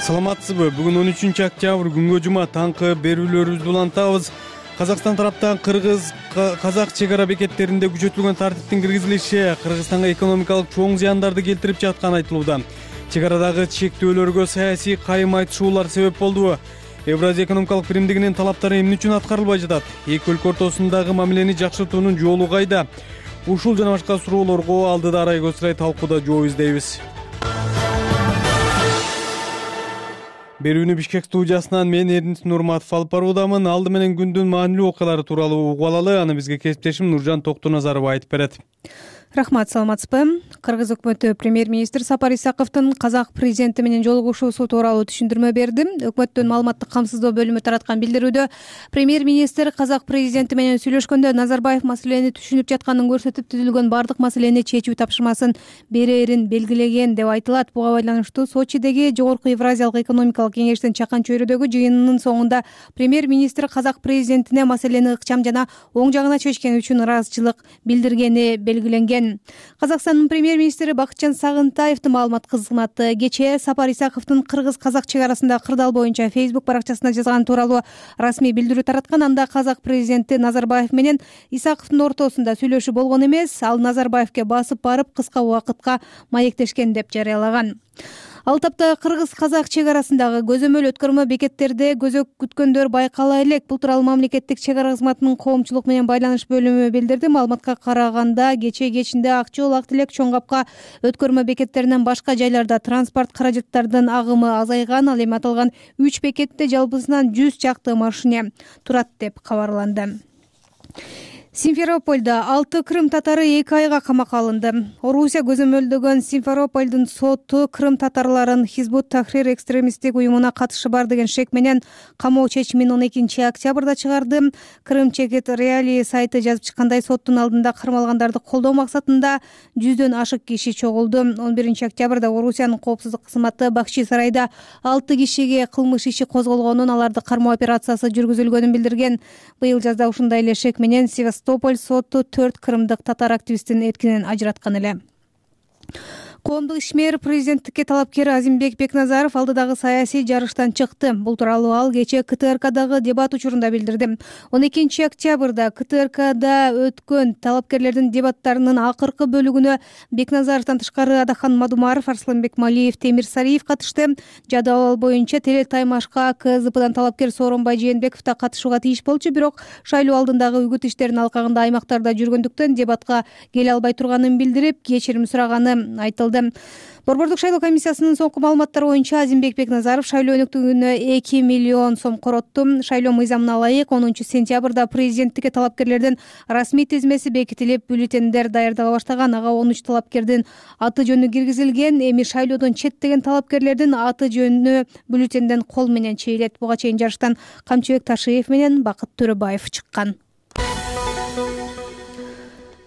Саламатсызбы? Бүгүн 13 октябрь күнгө жума таңкы берүүлөрүбүздү улантабыз. Казакстан тараптан Кыргыз-казак чек ара бекеттеринде күчөтүлгөн тартиптин киргизилиши Кыргызстанга экономикалык чоң зыяндарды келтирип жатканы айтылууда. Чек арадагы чектөөлөргө саясий кайым айтышуулар себеп болду. Евразия экономикалык биримдигинин талаптары эмне үчүн аткарылбай жатат? Эки өлкө ортосундагы мамилени жакшыртуунун жолу кайда? Ушул жана башка суроолорго алдыда Арай Көсүрай талкууда жооп издейбиз. Берүүнү Бишкек студиясынан мен Эрнис Нурматов алып баруудамын. Алды менен күндүн маанилүү окуялары тууралуу угуп алалы. Аны бизге кесиптешим Нуржан Токтоназарова айтып берет. Рахмат, саламатсызбы? Кыргыз өкмөтү премьер-министр Сапар Исаковдун казак президенти менен жолугушуусу тууралуу түшүндүрмө берди. Өкмөттүн маалыматтык камсыздоо бөлүмү тараткан билдирүүдө премьер-министр казак президенти менен сүйлөшкөндө Назарбаев маселени түшүнүп жатканын көрсөтүп, түзүлгөн бардык маселени чечүү тапшырмасын берерин белгилеген деп айтылат. Буга байланыштуу Сочидеги Жогорку Евразиялык экономикалык кеңештин чакан чөйрөдөгү жыйынынын соңунда премьер-министр казак президентине маселени ыкчам жана оң жагына чечкени үчүн ыраазычылык билдиргени белгиленген. Казакстандын премьер-министри Бакытжан Сагынтаевдин маалымат кызматы кечээ Сапар Исаковдун кыргыз-казак чек арасындагы кырдаал боюнча Facebook баракчасына жазган тууралуу расмий билдирүү тараткан. Анда казак президенти Назарбаев менен Исаковдун ортосунда сүйлөшүү болгон эмес, ал Назарбаевке басып барып кыска убакытка маектешкен деп жарыялаган. Ал тапта кыргыз-казак чек арасындагы көзөмөл өткөрмө бекеттерде көзөк күткөндөр байкала элек. Бул тууралуу мамлекеттик чек ара кызматынын коомчулук менен байланыш бөлүмү билдирди. Маалыматка караганда кечээ кечинде Ак жол, Ак Тилек, Чоң Капка өткөрмө бекеттеринен башка жайларда транспорт каражаттардын агымы азайган. Ал эми аталган 3 бекетте жалпысынан 100 чакты машине турат деп кабарланды. Симферопольдо 6 крым татары 2 айга камакка алынды. Орусия көзөмөлдөгөн Симферопольдун соту крым татарларын Хизбут Тахрир экстремисттик уюмуна катышы бар деген шек менен камоо чечимин 12 октябрда чыгарды. Крым Чекит Реалии сайты жазып чыккандай, соттун алдында кармалгандарды колдоо максатында 100дөн ашык киши чогулду. 11 октябрда Орусиянын коопсуздук кызматы Бакчи сарайда 6 кишиге кылмыш иши козголгонун, аларды кармоо операциясы жүргүзүлгөнүн билдирген. Быйыл жазда ушундай эле шек менен Тополь соту 4 крымдык татар активистин эркинен ажыраткан эле. Коомдук ишмер президенттикке талапкер Азимбек Бекназаров алдыдагы саясий жарыштан чыкты. Бул тууралуу ал кечээ КТРКдагы дебат учурунда билдирди. 12 октябрда КТРКда өткөн талапкерлердин дебаттарынын акыркы бөлүгүнө Бекназаровдон тышкары Адахан Мадумаров, Арсланбек Малиев, Темир Сариев катышты. Жадабал боюнча Теле Таймашка КЗПдан талапкер Сооронбай Жээнбеков да катышууга тийиш болчу, бирок шайлоо алдындагы үгүт иштеринин алкагында аймактарда жүргөндүктөн дебатка келе албай турганын билдирип, кечирим сураганы айтылды. Борбордук шайлоо комиссиясынын соңку маалыматтары боюнча Азимбек Бекназаров шайлоо өнөктүгүнө 2 миллион сом коротту. Шайлоо мыйзамына ылайык 10 сентябрда президенттикке талапкерлердин расмий тизмеси бекитилип, бюллетендер даярдала баштаган. Ага 13 талапкердин аты жөнү киргизилген. Эми шайлоодон четтеген талапкерлердин аты жөнү бюллетенден кол менен чейилет. Буга чейин жарыштан Камчыбек Ташиев менен Бакыт Төрөбаев чыккан.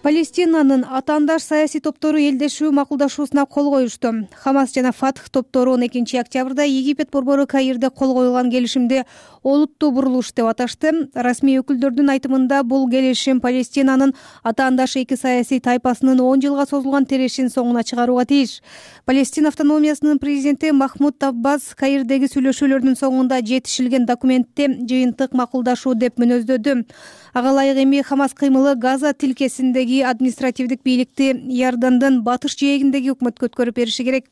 Палестинанын атаандаш саясий топтору элдешүү макулдашуусуна кол коюшту. Хамас жана Фатх топтору 12 октябрда Египет борбору Каирде кол коюлган келишимди олуттуу бурулуш деп аташты. Расмий өкүлдөрдүн айтымында бул келишим Палестинанын атаандаш эки саясий тайпасынын 10 жылга созулган тирешин соңуна чыгарууга тийиш. Палестина автономиясынын президенти Махмуд Аббас Каирдеги сүйлөшүүлөрдүн соңунда жетишилген документти жыйынтык макулдашуу деп мүнөздөдү. Ага ылайык эми Хамас кыймылы Газа тилкесиндеги жаhdайдеги административдик бийликти Иордандын батыш жээгиндеги өкмөткө өткөрүп бериши керек.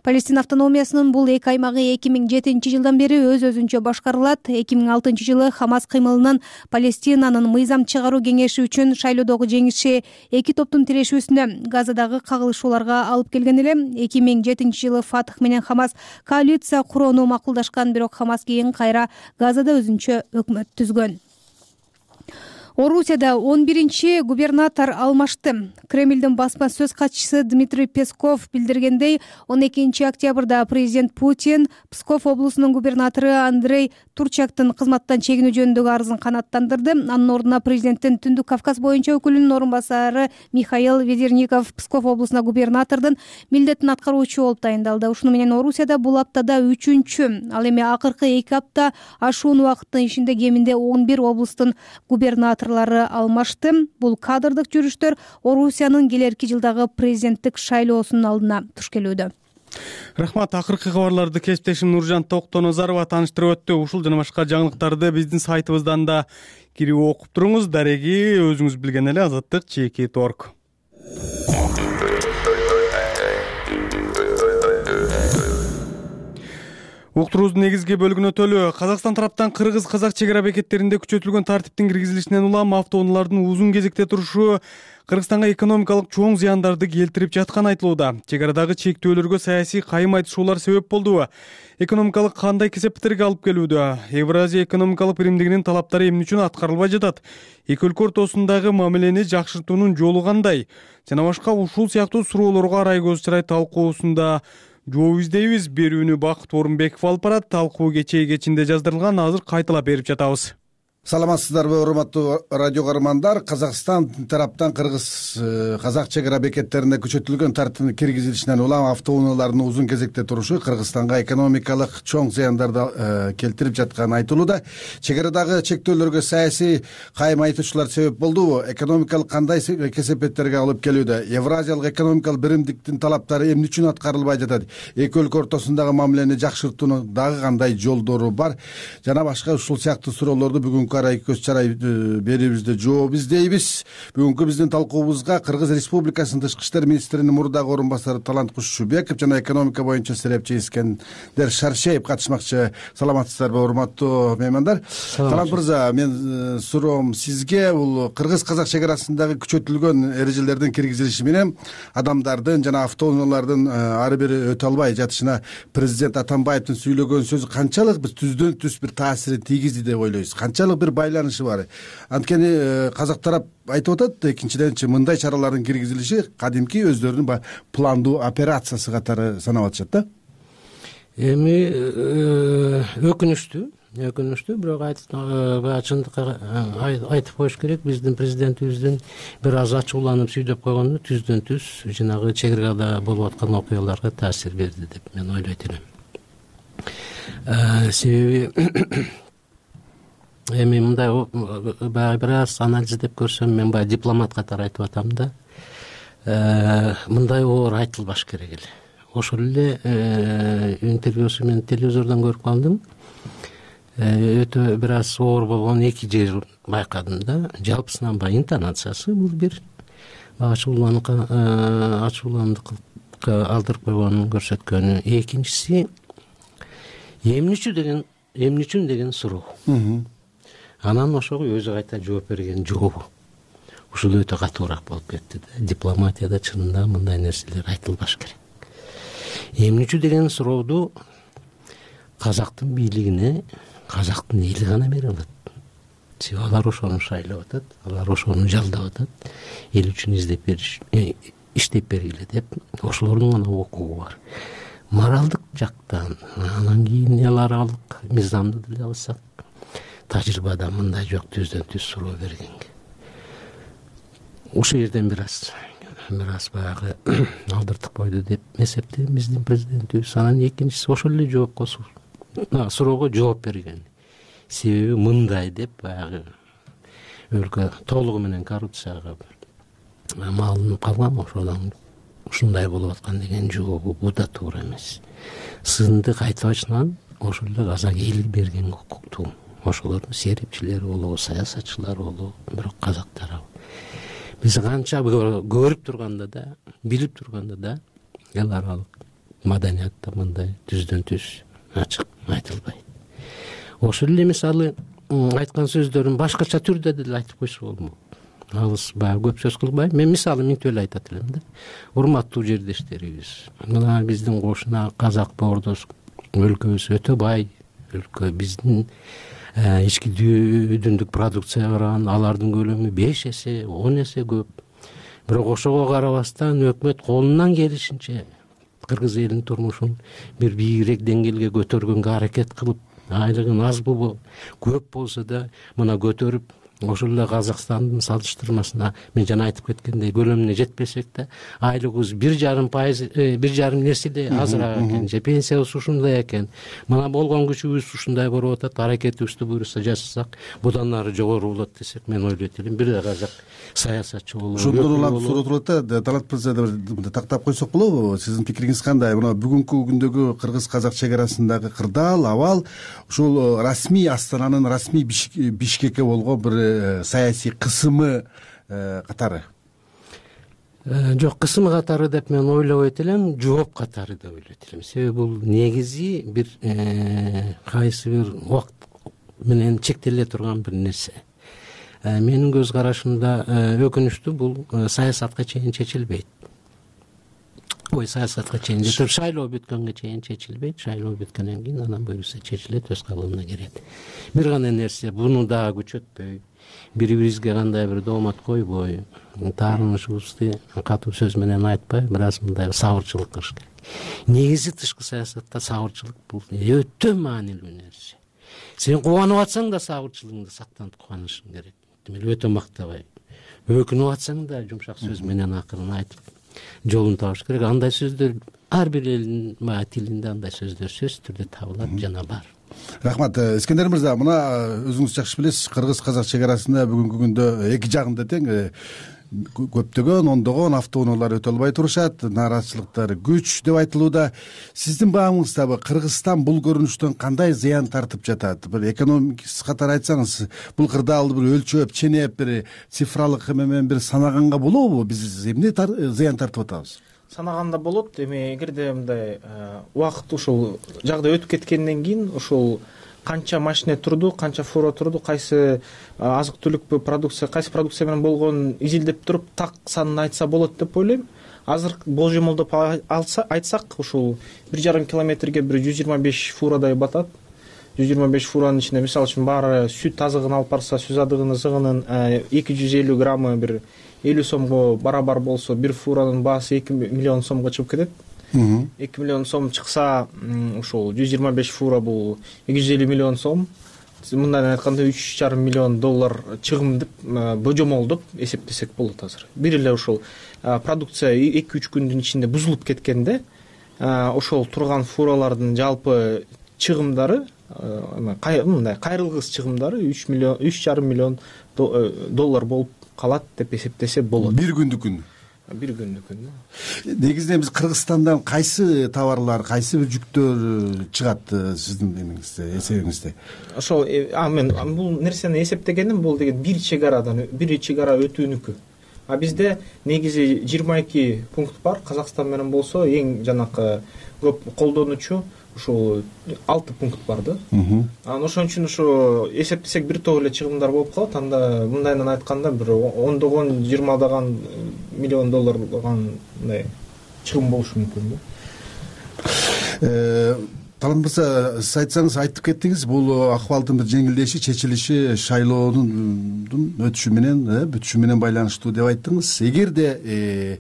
Палестина автономиясынын бул эки аймагы 2007-жылдан бери өз-өзүнчө башкарылат. 2006 жылы Хамас кыймылынын Палестинанын мыйзам чыгаруу кеңеши үчүн шайлоодогу жеңиши эки топтун тирешүүсүнө, Газадагы кагылышууларга алып келген эле. 2007 жылы Фатх менен Хамас коалиция курууну макулдашкан, бирок Хамас кийин кайра Газада өзүнчө өкмөт түзгөн. Орусияда 11-чи губернатор алмашты. Кремлдин басма сөз катчысы Дмитрий Песков билдиргендей, 12 октябрда президент Путин Псков облусунун губернатору Андрей Турчактын кызматтан чегинүү жөнүндөгү арызын канааттандырды. Анын ордуна президенттин Түндүк Кавказ боюнча өкүлүнүн орун басары Михаил Ведерников Псков облусуна губернатордун милдетин аткаруучу болуп тайындалды. Ушуну менен Орусияда бул аптада 3-чү, ал эми акыркы 2 апта ашуун убакыттын ичинде кеминде 11 облустун губернаторлору алмашты. Бул кадрдык жүрүштөр Орусиянын келерки жылдагы президенттик шайлоосунун алдына туш келүүдө. Рахмат. Акыркы кабарларды кесиптешим Нуржан Токтонозарова тааныштырып өттү. Ушул жана башка жаңылыктарды биздин сайтыбыздан да кирип окуп туруңуз. Дареги өзүңүз билген эле Азаттык.org. Уктуруубуздун негизги бөлүгүнө өтөлү. Казакстан тараптан кыргыз-казак чек ара бекеттеринде күчөтүлгөн тартиптин киргизилишинен улам автоунаалардын узун кезекте турушу Кыргызстанга экономикалык чоң зыяндарды келтирип жатканы айтылууда. Чек арадагы чектөөлөргө саясий кайым айтышуулар себеп болду. Экономикалык кандай кесепеттерге алып келүүдө? Евразия экономикалык биримдигинин талаптары эмне үчүн аткарылбай жатат? Эки өлкө ортосундагы мамилени жакшыртуунун жолу кандай? Жана башка ушул сыяктуу суроолорго арай көз чырай талкуусунда жооп издейбиз. Берүүнү Бакыт Орунбеков алып барат. Талкуу кечээ кечинде жаздырылган, азыр кайталап берип жатабыз. Саламатсыздарбы, урматтуу радио каармандар. Казакстан тараптан кыргыз-казак чек ара бекеттеринде күчөтүлгөн тартиптин киргизилишинен улам автоунаалардын узун кезекте турушу Кыргызстанга экономикалык чоң зыяндарды келтирип жатканы айтылууда. Чек арадагы чектөөлөргө саясий кайым айтуучулар себеп болдубу? Экономикалык кандай кесепеттерге алып келүүдө? Евразиялык экономикалык биримдиктин талаптары эмне үчүн аткарылбай жатат? Эки өлкө ортосундагы мамилени жакшыртуунун дагы кандай жолдору бар? Жана башка ушул сыяктуу суроолорду бүгүн арай көз чарай берүүбүздө жооп издейбиз. Бүгүнкү биздин талкуубузга Кыргыз Республикасынын тышкы иштер министринин мурдагы орун басары Талант Кушчубеков жана экономика боюнча серепчи Искендер Шаршеев катышмакчы. Саламатсыздарбы, урматтуу меймандар? Талант мырза, мен суроом сизге бул кыргыз-казак чек арасындагы күчөтүлгөн эрежелердин киргизилиши менен адамдардын жана автоунаалардын ары бери өтө албай жатышына президент Атамбаевдин сүйлөгөн сөзү канчалык биз түздөн түз бир таасирин тийгизди деп ойлойсуз? Канчалык бир байланышы бар? Анткени казак тарап айтып атат, экинчиденчи мындай чаралардын киргизилиши кадимки өздөрүнүн пландуу операциясы катары санап атышат да. Эми өкүнүчтүү, бирок чындыкка айтып коюш керек, биздин президентибиздин бир аз ачууланып сүйдөп койгону түздөн түз жанагы чек арада болуп аткан окуяларга таасир берди деп мен ойлойт элем. Себеби эми мындай баягы бир аз анализдеп көрсөм, мен баягы дипломат катары айтып атам да, мындай оор айтылбаш керек эле. Ошол эле интервьюсу мен телевизордон көрүп калдым. Өтө бир аз оор болгон эки жер байкадым да. Жалпысынан баягы интонациясы бул бир ачууландыкка алдырып койгонун көрсөткөнү. Экинчиси эмне үчүн деген суроо. Анан ошого өзү кайта жооп берген жообу ушул өтө катуураак болуп кетти да. Дипломатияда чынында мындай нерселер айтылбаш керек. Эмне үчүн деген сурооду казактын бийлигине казактын эли гана бере алат. Себеби алар ошону шайлап атат, алар ошону жалдап атат. Эл үчүн иштеп бергиле деп ошолордун гана укугу бар. Моралдык жактан, анан кийин эл аралык мыйзамды деле алсак, тажрыйбада мындай жок, түздөн түз суроо бергенге. Ушул жерден бир аз баягы алдыртып койду деп эсептейм биздин президентибиз. Анан экинчиси ошол эле жоопко суроого жооп берген. Себеби мындай деп баягы өлкө толугу менен коррупцияга малынып калган, ошодон ушундай болуп аткан деген жообу бул да туура эмес. Сындык айтпачынан ошол эле казак эли берген укуктуу. Ошолордун серепчилери болобу, саясатчылар болобу, бирок казак тарабы. биз канча көрүп турганда да, билип турганда да эл аралык маданиятта мындай түздөн түз ачык айтылбайт. Ошол эле мисалы айткан сөздөрүн башкача түрдө деле айтып койсо болмок. Алыс баягы көп сөз кылбайм. Мен мисалы миңтип эле айтат элем да. Урматтуу жердештерибиз, мына биздин кошуна Казак боордош өлкөбүз өтө бай өлкө. Биздин ички дүйдүндүк продукция барган, алардын көлөмү 5 эсе, 10 эсе көп. Бирок ошого карабастан өкмөт колунан келишинче кыргыз элинин турмушун бир бийигирээк деңгээлге көтөргөнгө аракет кылып, айлыгын аз көп болсо да мына көтөрүп, ошол эле Казакстандын салыштырмасына мен жана айтып кеткендей көлөмүнө жетпесек да айлыгыбыз 1,5%, 1,5 нерселе азыраак экен, же пенсиябыз ушундай экен. Мына болгон күчүбүз ушундай болуп атат, аракетибизди буюрса жасасак будан ары жогору болот десек, мен ойлойт элем бир да казак саясатчы болобу. Ошондон улам суроо турат да, Талат мырза тактап койсок болобу? Сиздин пикириңиз кандай? Мына бүгүнкү күндөгү кыргыз-казак чек арасындагы кырдаал, абал ушул расмий Астананын расмий Бишкекке болгон бир саясий кысымы катары? Жок, кысымы катары деп мен ойлобойт элем, жооп катары деп ойлойт элем. Себеби бул негизи бир кайсы бир убакыт менен чектеле турган бир нерсе. Менин көз карашымда өкүнүчтүү бул саясатка чейин чечилбейт. Саясатка чейин шайлоо бүткөнгө чейин чечилбейт. Шайлоо бүткөндөн кийин анан буюрса чечилет, өз калыбына кирет. Бир гана нерсе, буну дагы күчөтпөй, бири-бирибизге кандай бир доомат койбой, таарынышыбызды катуу сөз менен айтпай, бир аз мындай сабырчылык кылыш керек. Негизи тышкы саясатта сабырчылык бул өтө маанилүү нерсе. Сен кубанып атсаң да сабырчылыгыңды сактанып кубанышың керек. Демек өтө мактабай. Өкүнүп атсаң да жумшак сөз менен акырын айтып жолун табыш керек. Андай сөздөр ар бир элдин тилинде андай сөздөр сөзсүз түрдө табылат жана бар. Рахмат. Искендер мырза, мына өзүңүз жакшы билесиз, кыргыз-казак чек арасында бүгүнкү күндө эки жагында тең көптөгөн ондогон автоунаалар өтө албай турушат, нааразычылыктар күч деп айтылууда. Сиздин баамыңызда Кыргызстан бул көрүнүштөн кандай зыян тартып жатат? Бир экономикасы катары айтсаңыз, бул кырдаалды бир өлчөп, ченеп, бир цифралык менен бир санаганга болобу? Биз эмне зыян тартып атабыз? Санаганда болот. Эми эгерде мындай убакыт ушул жагдай өтүп кеткенден кийин ушул канча машина турду, канча фура турду, кайсы азык түлүк продукция, кайсы продукция менен болгонун изилдеп туруп так санын айтса болот деп ойлойм. Азыр болжомолдоп айтсак, ушул 1,5 километрге бир 125 фурадай батат. 125 фуранын ичинде мисалы үчүн баары сүт азыгын алып барса, сүз азыгынын зыгынын 250 граммы бир 50 сомго барабар болсо, бир фуранын баасы 2 миллион сомго чыгып кетет. 2 миллион сом чыкса, ушул 125 фура бул 250 миллион сом. Мындан айтканда 3,5 миллион доллар чыгым деп божомолдоп эсептесек болот азыр. Бир эле ушул продукция 2-3 күндүн ичинде бузулуп кеткенде, ошол турган фуралардын жалпы чыгымдары, мындай кайрылгыс чыгымдары 3,5 миллион доллар болуп калат деп эсептесе болот. Бир күндүкүн. Бир күндүкүн. Негизинен биз Кыргызстандан кайсы товарлар, кайсы бир жүктөр чыгат сиздин эсебиңизде? Ошол мен бул нерсени эсептегеним, бул деген бир чек ара өтүүнүкү. А бизде негизи 22 пункт бар. Казакстан менен болсо эң жанакы көп колдонуучу ушул 6 пункт бар да. Анан ошон үчүн ушу эсептесек бир топ эле чыгымдар болуп калат. Анда мындайынан айтканда бир 10-20 миллион долларлаган мындай чыгым болушу мүмкүн да. Талат мырза, сиз айтсаңыз, айтып кеттиңиз, бул акыбалдын бир жеңилдеши, чечилиши шайлоонун өтүшү менен, бүтүшү менен байланыштуу деп айттыңыз. Эгерде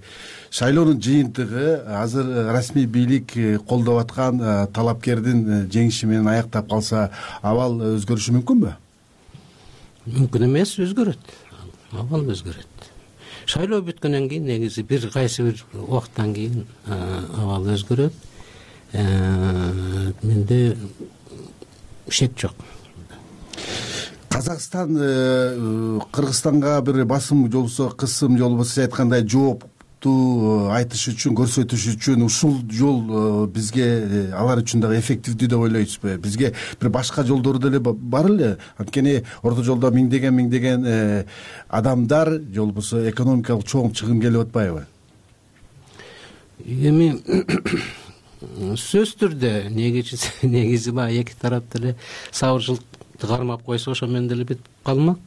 шайлоонун жыйынтыгы азыр расмий бийлик колдоп аткан талапкердин жеңиши менен аяктап калса, абал өзгөрүшү мүмкүнбү? Мүмкүн эмес, өзгөрөт. Абал өзгөрөт. Шайлоо бүткөндөн кийин негизи бир кайсы бир убакыттан кийин абал өзгөрөт. Менде шек жок. Казакстан Кыргызстанга бир басым жолбосо, кысым жолбосо, сиз айткандай жооп талаптуу айтыш үчүн, көрсөтүш үчүн ушул жол бизге алар үчүн дагы эффективдүү деп ойлойсузбу? Бизге бир башка жолдору деле бар эле. Анткени орто жолдо миңдеген адамдар же болбосо экономикалык чоң чыгым келип атпайбы? Эми сөзсүз түрдө негизи баягы эки тарап деле сабырчылыкты кармап койсо ошо менен деле бүтүп калмак.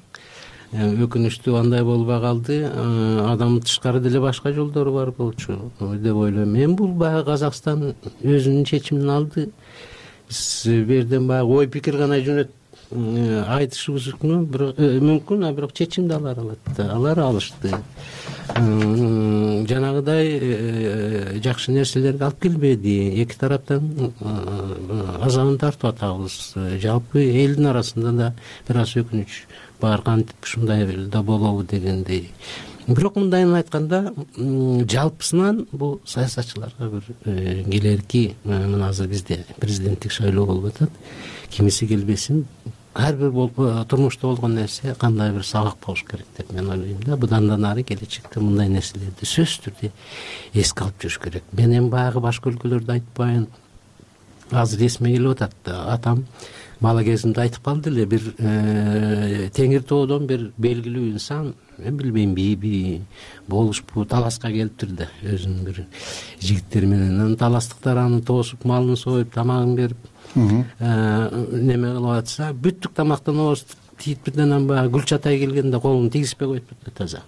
Өкүнүчтүү андай болбой калды. Адам тышкары деле башка жолдору бар болчу деп ойлойм. Эми бул баягы Казакстан өзүнүн чечимин алды. Биз бул жерден баягы ой пикир гана айтышыбыз мүмкүн, бирок чечимди алар алат. Алар алышты. Жанагыдай жакшы нерселерди алып келбеди. Эки тараптан азабын тартып атабыз. Жалпы элдин арасында да бир аз өкүнүч бар, кантип ушундай да болобу дегендей. Бирок мындайын айтканда, жалпысынан бул саясатчыларга бир келерки, мына азыр бизде президенттик шайлоо болуп атат. Кимиси келбесин, ар бир турмушта болгон нерсе кандай бир сабак болуш керек деп мен ойлойм да. Будан да нары келечекте мындай нерселерди сөзсүз түрдө эске алып жүрүш керек. Мен эми баягы башка өлкөлөрдү айтпайын. Азыр эсиме келип атат. Атам бала кезимде айтып калды эле, бир Теңир тоодон бир белгилүү инсан, мен билбейм биби болушпу, таласка келиптир да өзүнүн бир жигиттери менен. Таластыктар аны тоосуп, малын союп, тамагын берип, неме кылып атса, бүттүк тамактан ооз тийип бирден баягы Гүлчатай келгенде колун тийгизбей коюп кетти таза.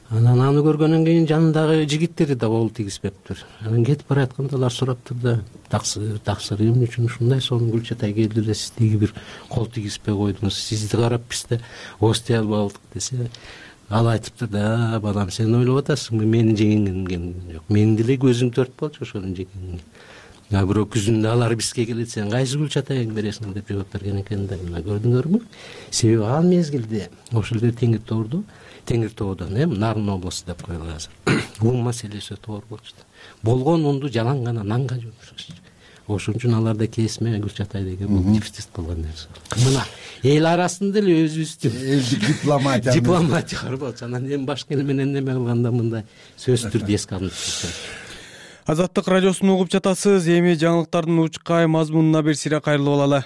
Анан аны көргөндөн кийин жанындагы жигиттери да кол тийгизбептир. Анан кетип баратканда алар сураптыр да, таксыр эмне үчүн ушундай сонун Гүлчатай келди эле, сиз тиги бир кол тийгизбей койдуңуз, сизди карап биз да ооз тие албадык десе, ал айтыптыр да, балам сен ойлоп атасыңбы, менин жегенгем жок. Менин деле көзүм төрт болчу ошонун жегенге. Бирок күзүндө алар бизге келет, сен кайсы Гүлчатайыңды бересиң деп жооп берген экен да. Мына көрдүңөрбү? Себеби ал мезгилде ошол эле Теңир тоодон, Нарын областу деп коелу азыр. Ун маселеси тоор болчу да. Болгон унду жалаң гана нанга жумшашчу. Ошон үчүн аларда кесме Гүлчатай деген бул дефицит болгон нерсе. Мына эл арасында эле өзүбүздүн элдик дипломатия бар болчу. Анан эми башка эл менен неме кылганда мындай сөзсүз түрдө эске алынып жүрсө. Азаттык радиосун угуп жатасыз. Эми жаңылыктардын учкай мазмунуна бир сире кайрылып алалы.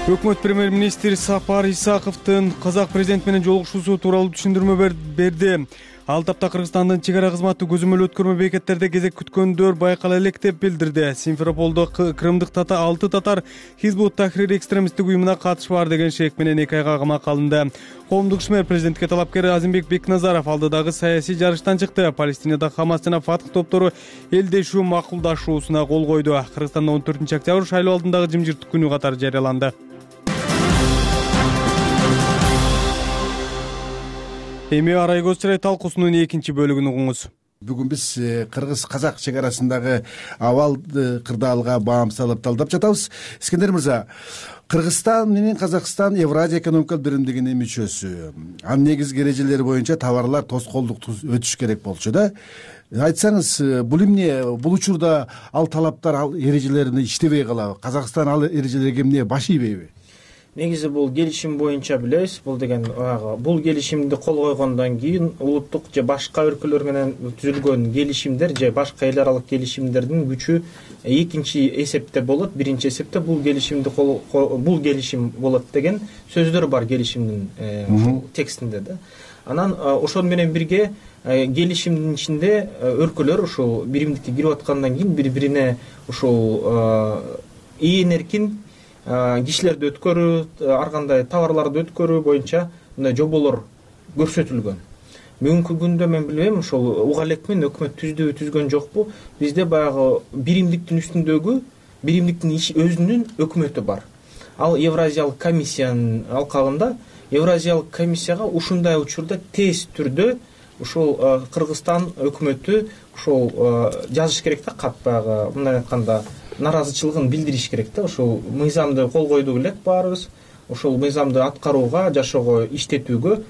Өкмөт премьер-министри Сапар Исаковдун казак президенти менен жолугушуусу тууралуу түшүндүрмө берди. Ал тапта Кыргызстандын чек ара кызматы көзөмөл өткөрмө бекеттерде кезек күткөндөр байкала элек деп билдирди. Симферополдо крымдык 6 татар Хизбут Тахрир экстремисттик уюмуна катышы бар деген шек менен 2 айга камакка алынды. Коомдук ишмер президентке талапкер Азимбек Бекназаров алдыдагы саясий жарыштан чыкты. Палестинада Хамас жана Фатх топтору элдешүү макулдашуусуна кол койду. Кыргызстанда 14-октябрь шайлоо алдындагы жымжырттык күнү катары жарыяланды. Эми арай көз чырай талкуусунун экинчи бөлүгүн угуңуз. Бүгүн биз кыргыз-казак чек арасындагы абалды кырдаалга баам салып талдап жатабыз. Искендер мырза, Кыргызстан менен Казакстан Евразия экономикалык биримдигинин мүчөсү. Анын негизги эрежелери боюнча товарлар тоскоолдукту өтүш керек болчу да. Айтсаңыз, бул эмне, бул учурда ал талаптар, ал эрежелерин иштебей калабы? Казакстан ал эрежелерге эмне баш ийбейби? Негизи бул келишим боюнча билебиз, бул деген бул келишимди кол койгондон кийин улуттук же башка өлкөлөр менен түзүлгөн келишимдер же башка эл аралык келишимдердин күчү экинчи эсепте болот. Биринчи эсепте бул келишим болот деген сөздөр бар келишимдин текстинде да. Анан ошол менен бирге келишимдин ичинде өлкөлөр ушул биримдикке кирип аткандан кийин бири-бирине ушул ийин эркин кишилерди өткөрүү, ар кандай товарларды өткөрүү боюнча мындай жоболор көрсөтүлгөн. Бүгүнкү күндө мен билбейм, ошол уга элекмин, өкмөт түздүбү, түзгөн жокпу. Бизде баягы биримдиктин үстүндөгү биримдиктин өзүнүн өкмөтү бар. Ал Евразиялык комиссиянын алкагында, Евразиялык комиссияга ушундай учурда тез түрдө ушул Кыргызстан өкмөтү ушул жазыш керек да, кат баягы мындай айтканда наразычылыгын билдириш керек да. Ошол мыйзамды кол койдук элек баарыбыз. Ошол мыйзамды аткарууга, жашоого, иштетүүгө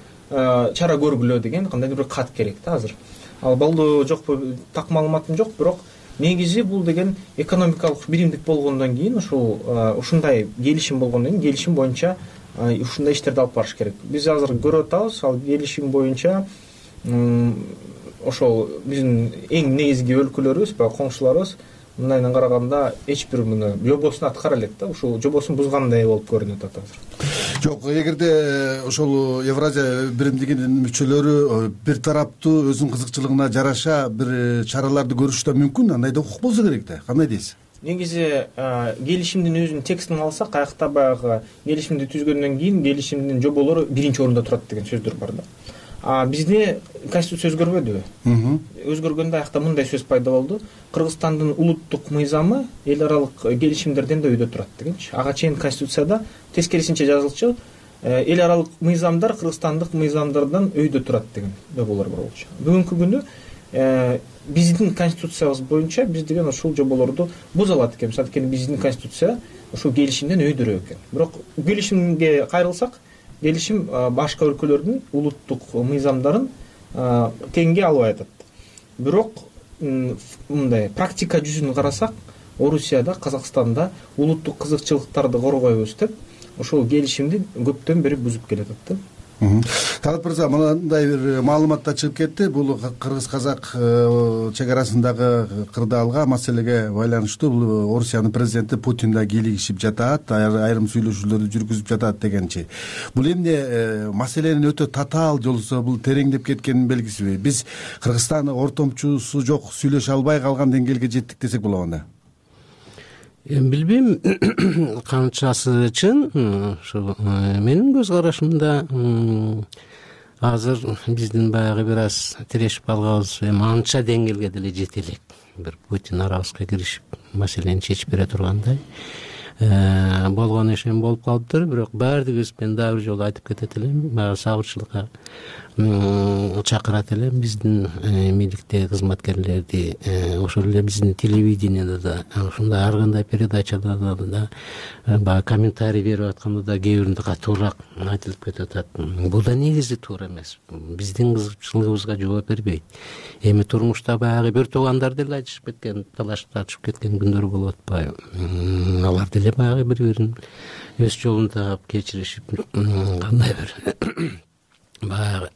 чара көргүлө деген кандайдыр бир кат керек да азыр. Ал болду жокпу так маалыматым жок, бирок негизи бул деген экономикалык биримдик болгондон кийин ушундай келишим болгондон кийин келишим боюнча ушундай иштерди алып барыш керек. Биз азыр көрүп атабыз, ал келишим боюнча ошол биздин эң негизги өлкөлөрүбүз, баягы коңшуларыбыз мындайынан караганда эч бир муну жобосун аткара элек да, ушул жобосун бузгандай болуп көрүнүп атат азыр. Жок, эгерде ошол Евразия биримдигинин мүчөлөрү бир тараптуу өзүнүн кызыкчылыгына жараша бир чараларды көрүшү да мүмкүн, андай да укук болсо керек да. Кандай дейсиз? Негизи келишимдин өзүнүн текстин алсак, аякта баягы келишимди түзгөндөн кийин келишимдин жоболору биринчи орунда турат деген сөздөр бар да. Бизде конституция өзгөрбөдүбү? Өзгөргөндө аякта мындай сөз пайда болду: Кыргызстандын улуттук мыйзамы эл аралык келишимдерден да өйдө турат дегенчи. Ага чейин конституцияда тескерисинче жазылчу, эл аралык мыйзамдар кыргызстандык мыйзамдардан өйдө турат деген жоболор бар болчу. Бүгүнкү күндө биздин конституциябыз боюнча биз деген ушул жоболорду буза алат экенбиз. Анткени биздин конституция ушул келишимден өйдөрөөк экен. Бирок келишимге кайрылсак, келишим башка өлкөлөрдүн улуттук мыйзамдарын теңге албай атат. Бирок мындай практика жүзүн карасак, Орусияда, Казакстанда улуттук кызыкчылыктарды коргойбуз деп ошол келишимди көптөн бери бузуп келатат да. Талат мырза, мындай бир маалымат да чыгып кетти. Бул кыргыз-казак чегарасындагы кырдаалга маселеге байланыштуу бул Орусиянын президенти Путин да кийлигишип жатат, айрым сүйлөшүүлөрдү жүргүзүп жатат дегенчи. Бул эмне маселенин өтө татаал жолсо бул тереңдеп кеткенин белгисиби? Биз Кыргызстан ортомчусу жок сүйлөшө албай калган деңгээлге жеттик десек болобу анда? Билбейм канчасы чын. Ошо менин көз карашымда азыр биздин баягы бир аз тирешип калганыбыз анча деңгээлге деле жете элек. Бир Путин арабызга киришип маселени чечип бере тургандай болгон ишен болуп калыптыр. Бирок баардыгыбыз, мен дагы бир жолу айтып кетет элем, баягы сабырчылыкка чакырат элем биздин бийликтеги кызматкерлерди, ошол эле биздин телевидениеде да, ушундай ар кандай передачаларда да баягы комментарий берип атканда да кээ биринде катуураак айтылып кетип атат. Бул да негизи туура эмес. Биздин кызыкчылыгыбызга жооп бербейт. Эми турмушта баягы бир туугандар деле айтышып кеткен, талашып тартышып кеткен күндөр болуп атпайбы? Алар деле баягы бири-бирин өз жолунда кечиришип, кандай бир баягы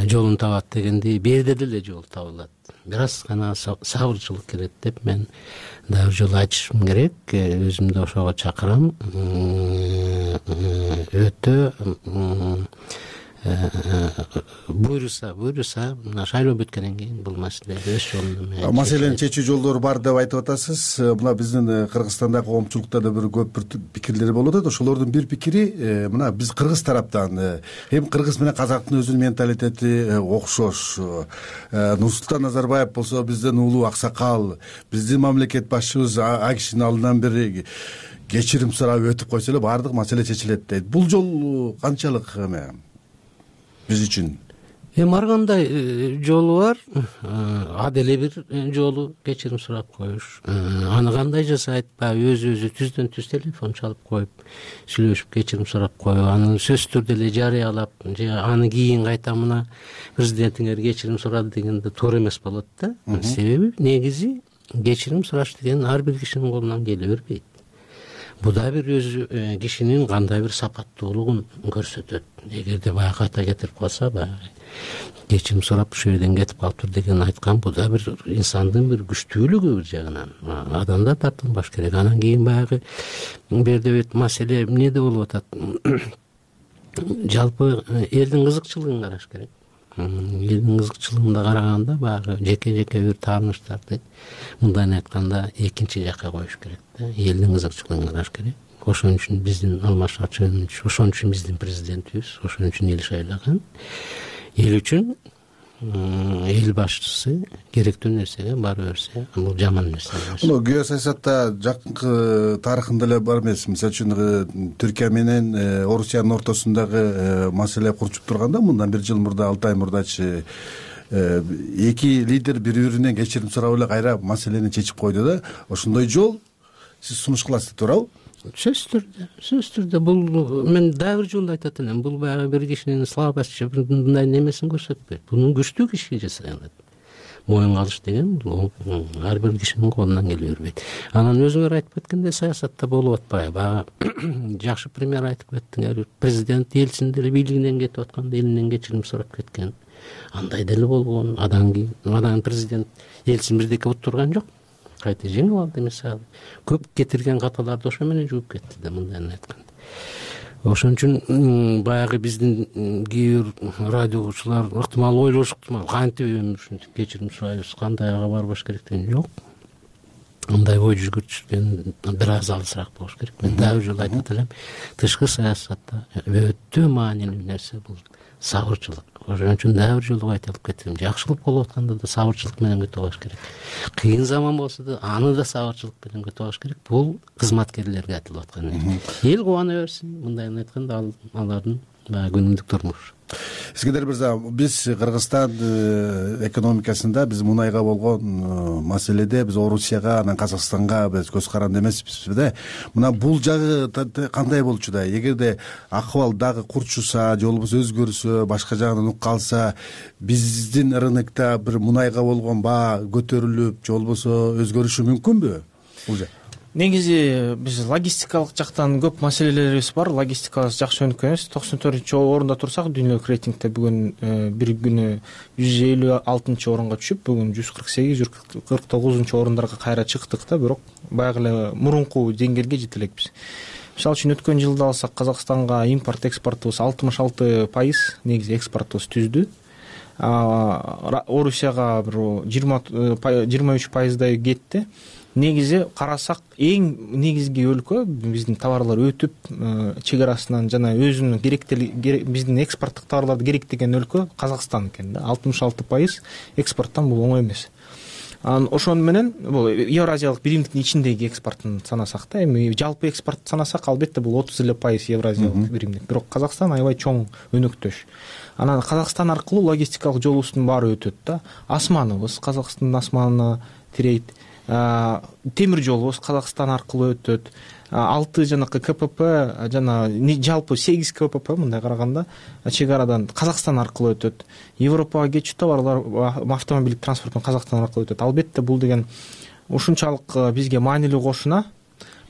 жолун табат дегендей, берде деле жол табылат. Бир аз гана сабырчылык керек деп мен дагы бир жолу айтышым керек. Өзүмдү ошого чакырам. Өтө буйруса мына шайлоо бүткөндөн кийин бул маселе өз жолунда маселени чечүү жолдору бар деп айтып атасыз. Мына биздин Кыргызстандагы коомчулукта да бир көп бир пикирлер болуп атат. Ошолордун бир пикири, мына биз кыргыз тараптан эми кыргыз менен казактын өзүнүн менталитети окшош. Нурсултан Назарбаев болсо бизден улуу аксакал, биздин мамлекет башчыбыз а кишинин алдынан бир кечирим сурап өтүп койсо эле баардык маселе чечилет дейт. Бул жол канчалык биз үчүн? Ар кандай жолу бар. А деле бир жолу кечирим сурап коюш. Аны кандай жасайт? Баягы өзү түздөн түз телефон чалып коюп, сүйлөшүп кечирим сурап коюп, аны сөзсүз түрдө эле жарыялап, же аны кийин кайта мына президентиңер кечирим сурады дегенде туура эмес болот да. Себеби негизи кечирим сураш деген ар бир кишинин колунан келе бербейт. Бул да бир өзү кишинин кандай бир сапаттуулугун көрсөтөт. Эгерде баягы ката кетирип калса, баягы кечирим сурап ушул жерден кетип калыптыр деген айткан, бул да бир инсандын бир күчтүүлүгү бир жагынан. Адамдар тартынбаш керек. Анан кийин баягы берде маселе эмнеде болуп атат? Жалпы элдин кызыкчылыгын караш керек. Элдин кызыкчылыгына караганда баягы жеке бир тааныштарды мындан айтканда экинчи жакка коюш керек да. Элдин кызыкчылыгын караш керек. Ошон үчүн биздин Алмазбек Атамбаевич, ошон үчүн биздин президентибиз, ошон үчүн эл шайлаган. Эл үчүн эл башчысы керектүү нерсеге бара берсе, бул жаман нерсе эмес. Муну геосаясатта жакынкы тарыхында эле бар эмес. Мисалы үчүн Түркия менен Орусиянын ортосундагы маселе курчуп турганда, мындан бир жыл мурда, 6 ай мурдачы эки лидер бири-биринен кечирим сурап эле кайра маселени чечип койду да. Ошондой жол сиз сунуш кыласыз туурабы? Сөзсүз түрдө бул мен дагы бир жолу айтат элем. Бул баягы бир кишинин слабость же мындай немесин көрсөтпөйт. Бунун күчтүү киши жасаган. моюнга алыш деген бул ар бир кишинин колунан келе бербейт. Анан өзүңөр айтып кеткендей саясатта болуп атпайбы? Баягы жакшы пример айтып кеттиңер. Президент Ельцин деле бийлигинен кетип атканда элинен кечирим сурап кеткен. Андай деле болгон. Анан президент Ельцин бирдеке уттурган жок. Кайта жеңип алды мисалы. Көп кетирген каталарды ошо менен жууп кетти да, мындайын айтканда. Ошон үчүн баягы биздин кээ бир радио угуучулар ыктымал ойлошу ыктымал, кантип ушинтип кечирим сурайбыз, кандайга барбаш керек деген жок. Андай ой жүгүртүшкөн бир аз алысыраак болуш керек. Мен дагы бир жолу айтып элем, тышкы саясатта өтө маанилүү нерсе бул сабырчылык. Ошон үчүн дагы бир жолу айтып кетем, жакшылык болуп атканда да сабырчылык менен күтүп алыш керек. Кыйын заман болсо да аны да сабырчылык менен күтүп алыш керек. Бул кызматкерлерге айтылып аткан нерсе. Эл кубана берсин, мындайын айтканда алардын күнүмдүк турмушу. Искендер мырза, биз Кыргызстан экономикасында биз мунайга болгон маселеде биз Орусияга, анан Казакстанга биз көз каранды эмеспизби да. Мына бул жагы кандай болчу да? Эгерде акыбал дагы курчуса, же болбосо өзгөрсө, башка жагынан ук калса, биздин рынокто бир мунайга болгон баа көтөрүлүп, же болбосо өзгөрүшү мүмкүнбү бул жак? Негизи биз логистикалык жактан көп маселелерибиз бар. Логистикабыз жакшы өнүккөнбүз. 94-орунда турсак, дүйнөлүк рейтингде бүгүн бир күнү 156-орунга түшүп, бүгүн 148-149-орундарга кайра чыктык да, бирок баягы эле мурунку деңгээлге жете элекпиз. Мисалы үчүн өткөн жылды алсак, Казакстанга импорт экспортубуз 66% негизи экспортубуз түздү. Орусияга бир 23% кетти. Негизи карасак, эң негизги өлкө биздин товарлар өтүп чек арасынан жана өзүнүн биздин экспорттук товарларды керектеген өлкө Казакстан экен да. 66% экспорттон бул оңой эмес. Ошон менен бул Евразиялык биримдиктин ичиндеги экспортун санасак да, эми жалпы экспорт санасак, албетте бул 30% Евразиялык биримдик. Бирок Казакстан аябай чоң өнөктөш. Анан Казакстан аркылуу логистикалык жолубуздун баары өтөт да. Асманыбыз Казакстандын асманына тирейт. Темир жолубуз Казакстан аркылуу өтөт. 6 жанакы КПП жана жалпы 8 КПП мындай караганда чек арадан Казакстан аркылуу өтөт. Европага кетчү товарлар автомобилдик транспорттон Казакстан аркылуу өтөт. Албетте бул деген ушунчалык бизге маанилүү кошуна.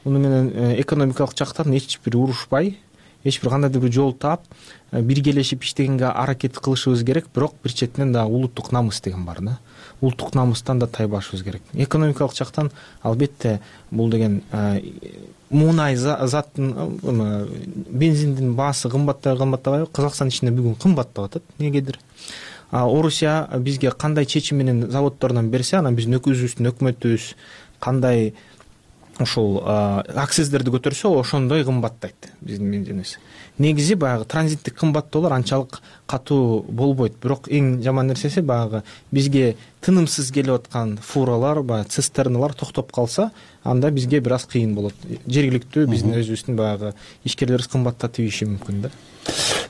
Муну менен экономикалык жактан эч бир урушпай, эч бир кандайдыр бир жол таап биргелешип иштегенге аракет кылышыбыз керек. Бирок бир четинен да улуттук намыс деген бар да. Улуттук намыстан да тайбашыбыз керек. Экономикалык жактан албетте бул деген мунай заттын бензиндин баасы кымбаттабайбы? Казакстан ичинде бүгүн кымбаттап атат негедир. Орусия бизге кандай чечим менен заводдордон берсе, анан биздин өзүбүздүн өкмөтүбүз кандай ошол акциздерди көтөрсө, ошондой кымбаттайт биздин бензинибиз. Негизи баягы транзиттик кымбаттоолор анчалык катуу болбойт. Бирок эң жаман нерсеси баягы бизге тынымсыз келип аткан фуралар, баягы цистерналар токтоп калса, анда бизге бир аз кыйын болот. Жергиликтүү биздин өзүбүздүн баягы ишкерлерибиз кымбаттатып ийиши мүмкүн да.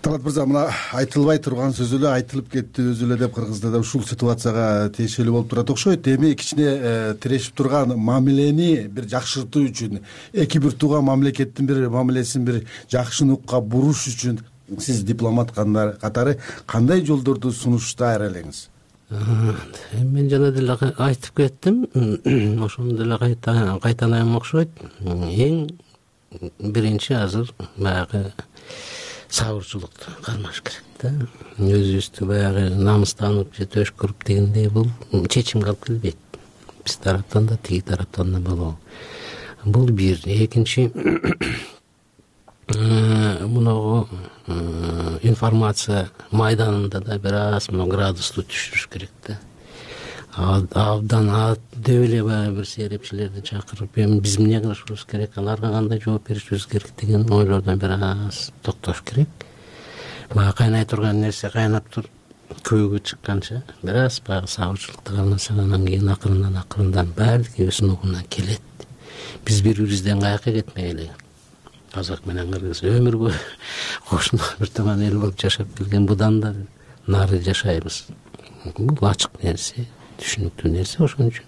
Талат мырза, мына айтылбай турган сөз эле айтылып кетти өзү эле деп Кыргызда да ушул ситуацияга тиешелүү болуп турат окшойт. Эми кичине тирешип турган мамилени бир жакшыртуу үчүн, эки бир тууган мамлекеттин бир мамилесин бир жакшы нукка буруш үчүн сиз дипломат катары кандай жолдорду сунуштар элеңиз? Мен жана деле айтып кеттим, ошону деле кайталайм окшойт. Эң биринчи азыр баягы сабырчылыкты кармаш керек да. Өзүбүздү баягы намыстанып же төшкөрүп дегендей бул чечимге алып келбейт. Биз тараптан да, тиги тараптан да болобу. Бул бир. Экинчи, мунагу информация майданында да бир аз градусту түшүрүш керек да. Абдан деп эле баягы бир серепчилерди чакырып, эми биз эмне кылышыбыз керек, аларга кандай жооп беришибиз керек деген ойлордон бир аз токтош керек. Баягы кайнай турган нерсе кайнап туруп көөгө чыкканча бир аз баягы сабырчылыкты кааласак, анан кийин акырындан баардыгы өз нугуна келет. Биз бири-бирибизден каяка кетмей эле казак менен кыргыз өмүр бою кошуна бир туман эл болуп жашап келген, будан да нары жашайбыз. Бул ачык нерсе, түшүнүктүү нерсе. Ошон үчүн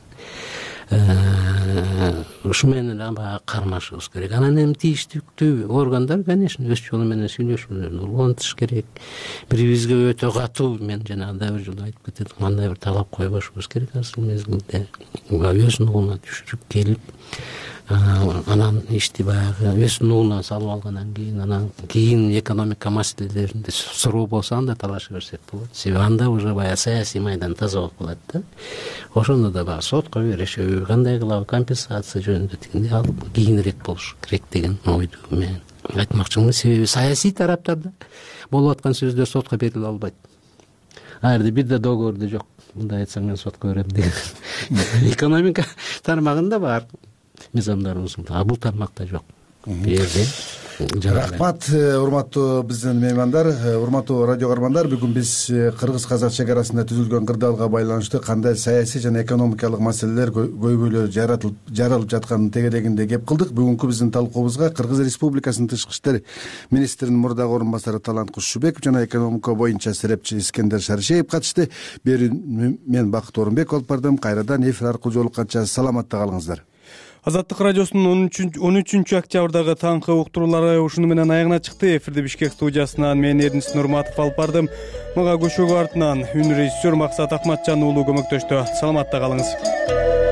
ушу менен баягы кармашышыбыз керек. Анан эми тийиштүү органдар конечно өз жолу менен сүйлөшүүлөрүн улантыш керек. Бири бизге өтө катуу, мен жанагыдай бир жолу айтып кетет, кандай бир талап койбошубуз керек азыр мезгилде. Өз нугуна түшүрүп келип, анан ишти баягы өз нугуна салып алгандан кийин, анан кийин экономика маселелеринде суроо болсо анда талаша берсек болот. Себеби анда уже баягы саясий майдан таза болуп калат да. Ошондо да баягы сотко беришеби, кандай кылабы, компенсация жөнүндө тигиндей ал кийинирээк болуш керек деген ойду мен айтмакчымын. Себеби саясий тараптарда болуп аткан сөздөр сотко бериле албайт. Ал жерде бир да договордо жок. Мындай айтсаң мен сотко берем деген. Экономика тармагында бар мыйзамдарыбыз, а бул тармакта жок. Рахмат, урматтуу биздин меймандар, урматтуу радио каармандар. Бүгүн биз кыргыз-казак чек арасында түзүлгөн кырдаалга байланыштуу кандай саясий жана экономикалык маселелер көйгөйлөр жаралып жатканын тегерегинде кеп кылдык. Бүгүнкү биздин талкуубузга Кыргыз Республикасынын тышкы иштер министринин мурдагы орун басары Талант Кушубеков жана экономика боюнча серепчи Искендер Шаришеев катышты. Мен Бакыт Орунбек болуп бардым. Кайрадан эфир аркылуу жолукканча саламатта калыңыздар. Азаттык радиосунун 13 октябрдагы таңкы уктуруулары ушуну менен аягына чыкты. Эфирди Бишкек студиясынан мен Эрдинис Нурматов алып бардым. Мага көшөгө артынан үн режиссер Максат Акматжан уулу көмөктөштү. Саламатта калыңыз.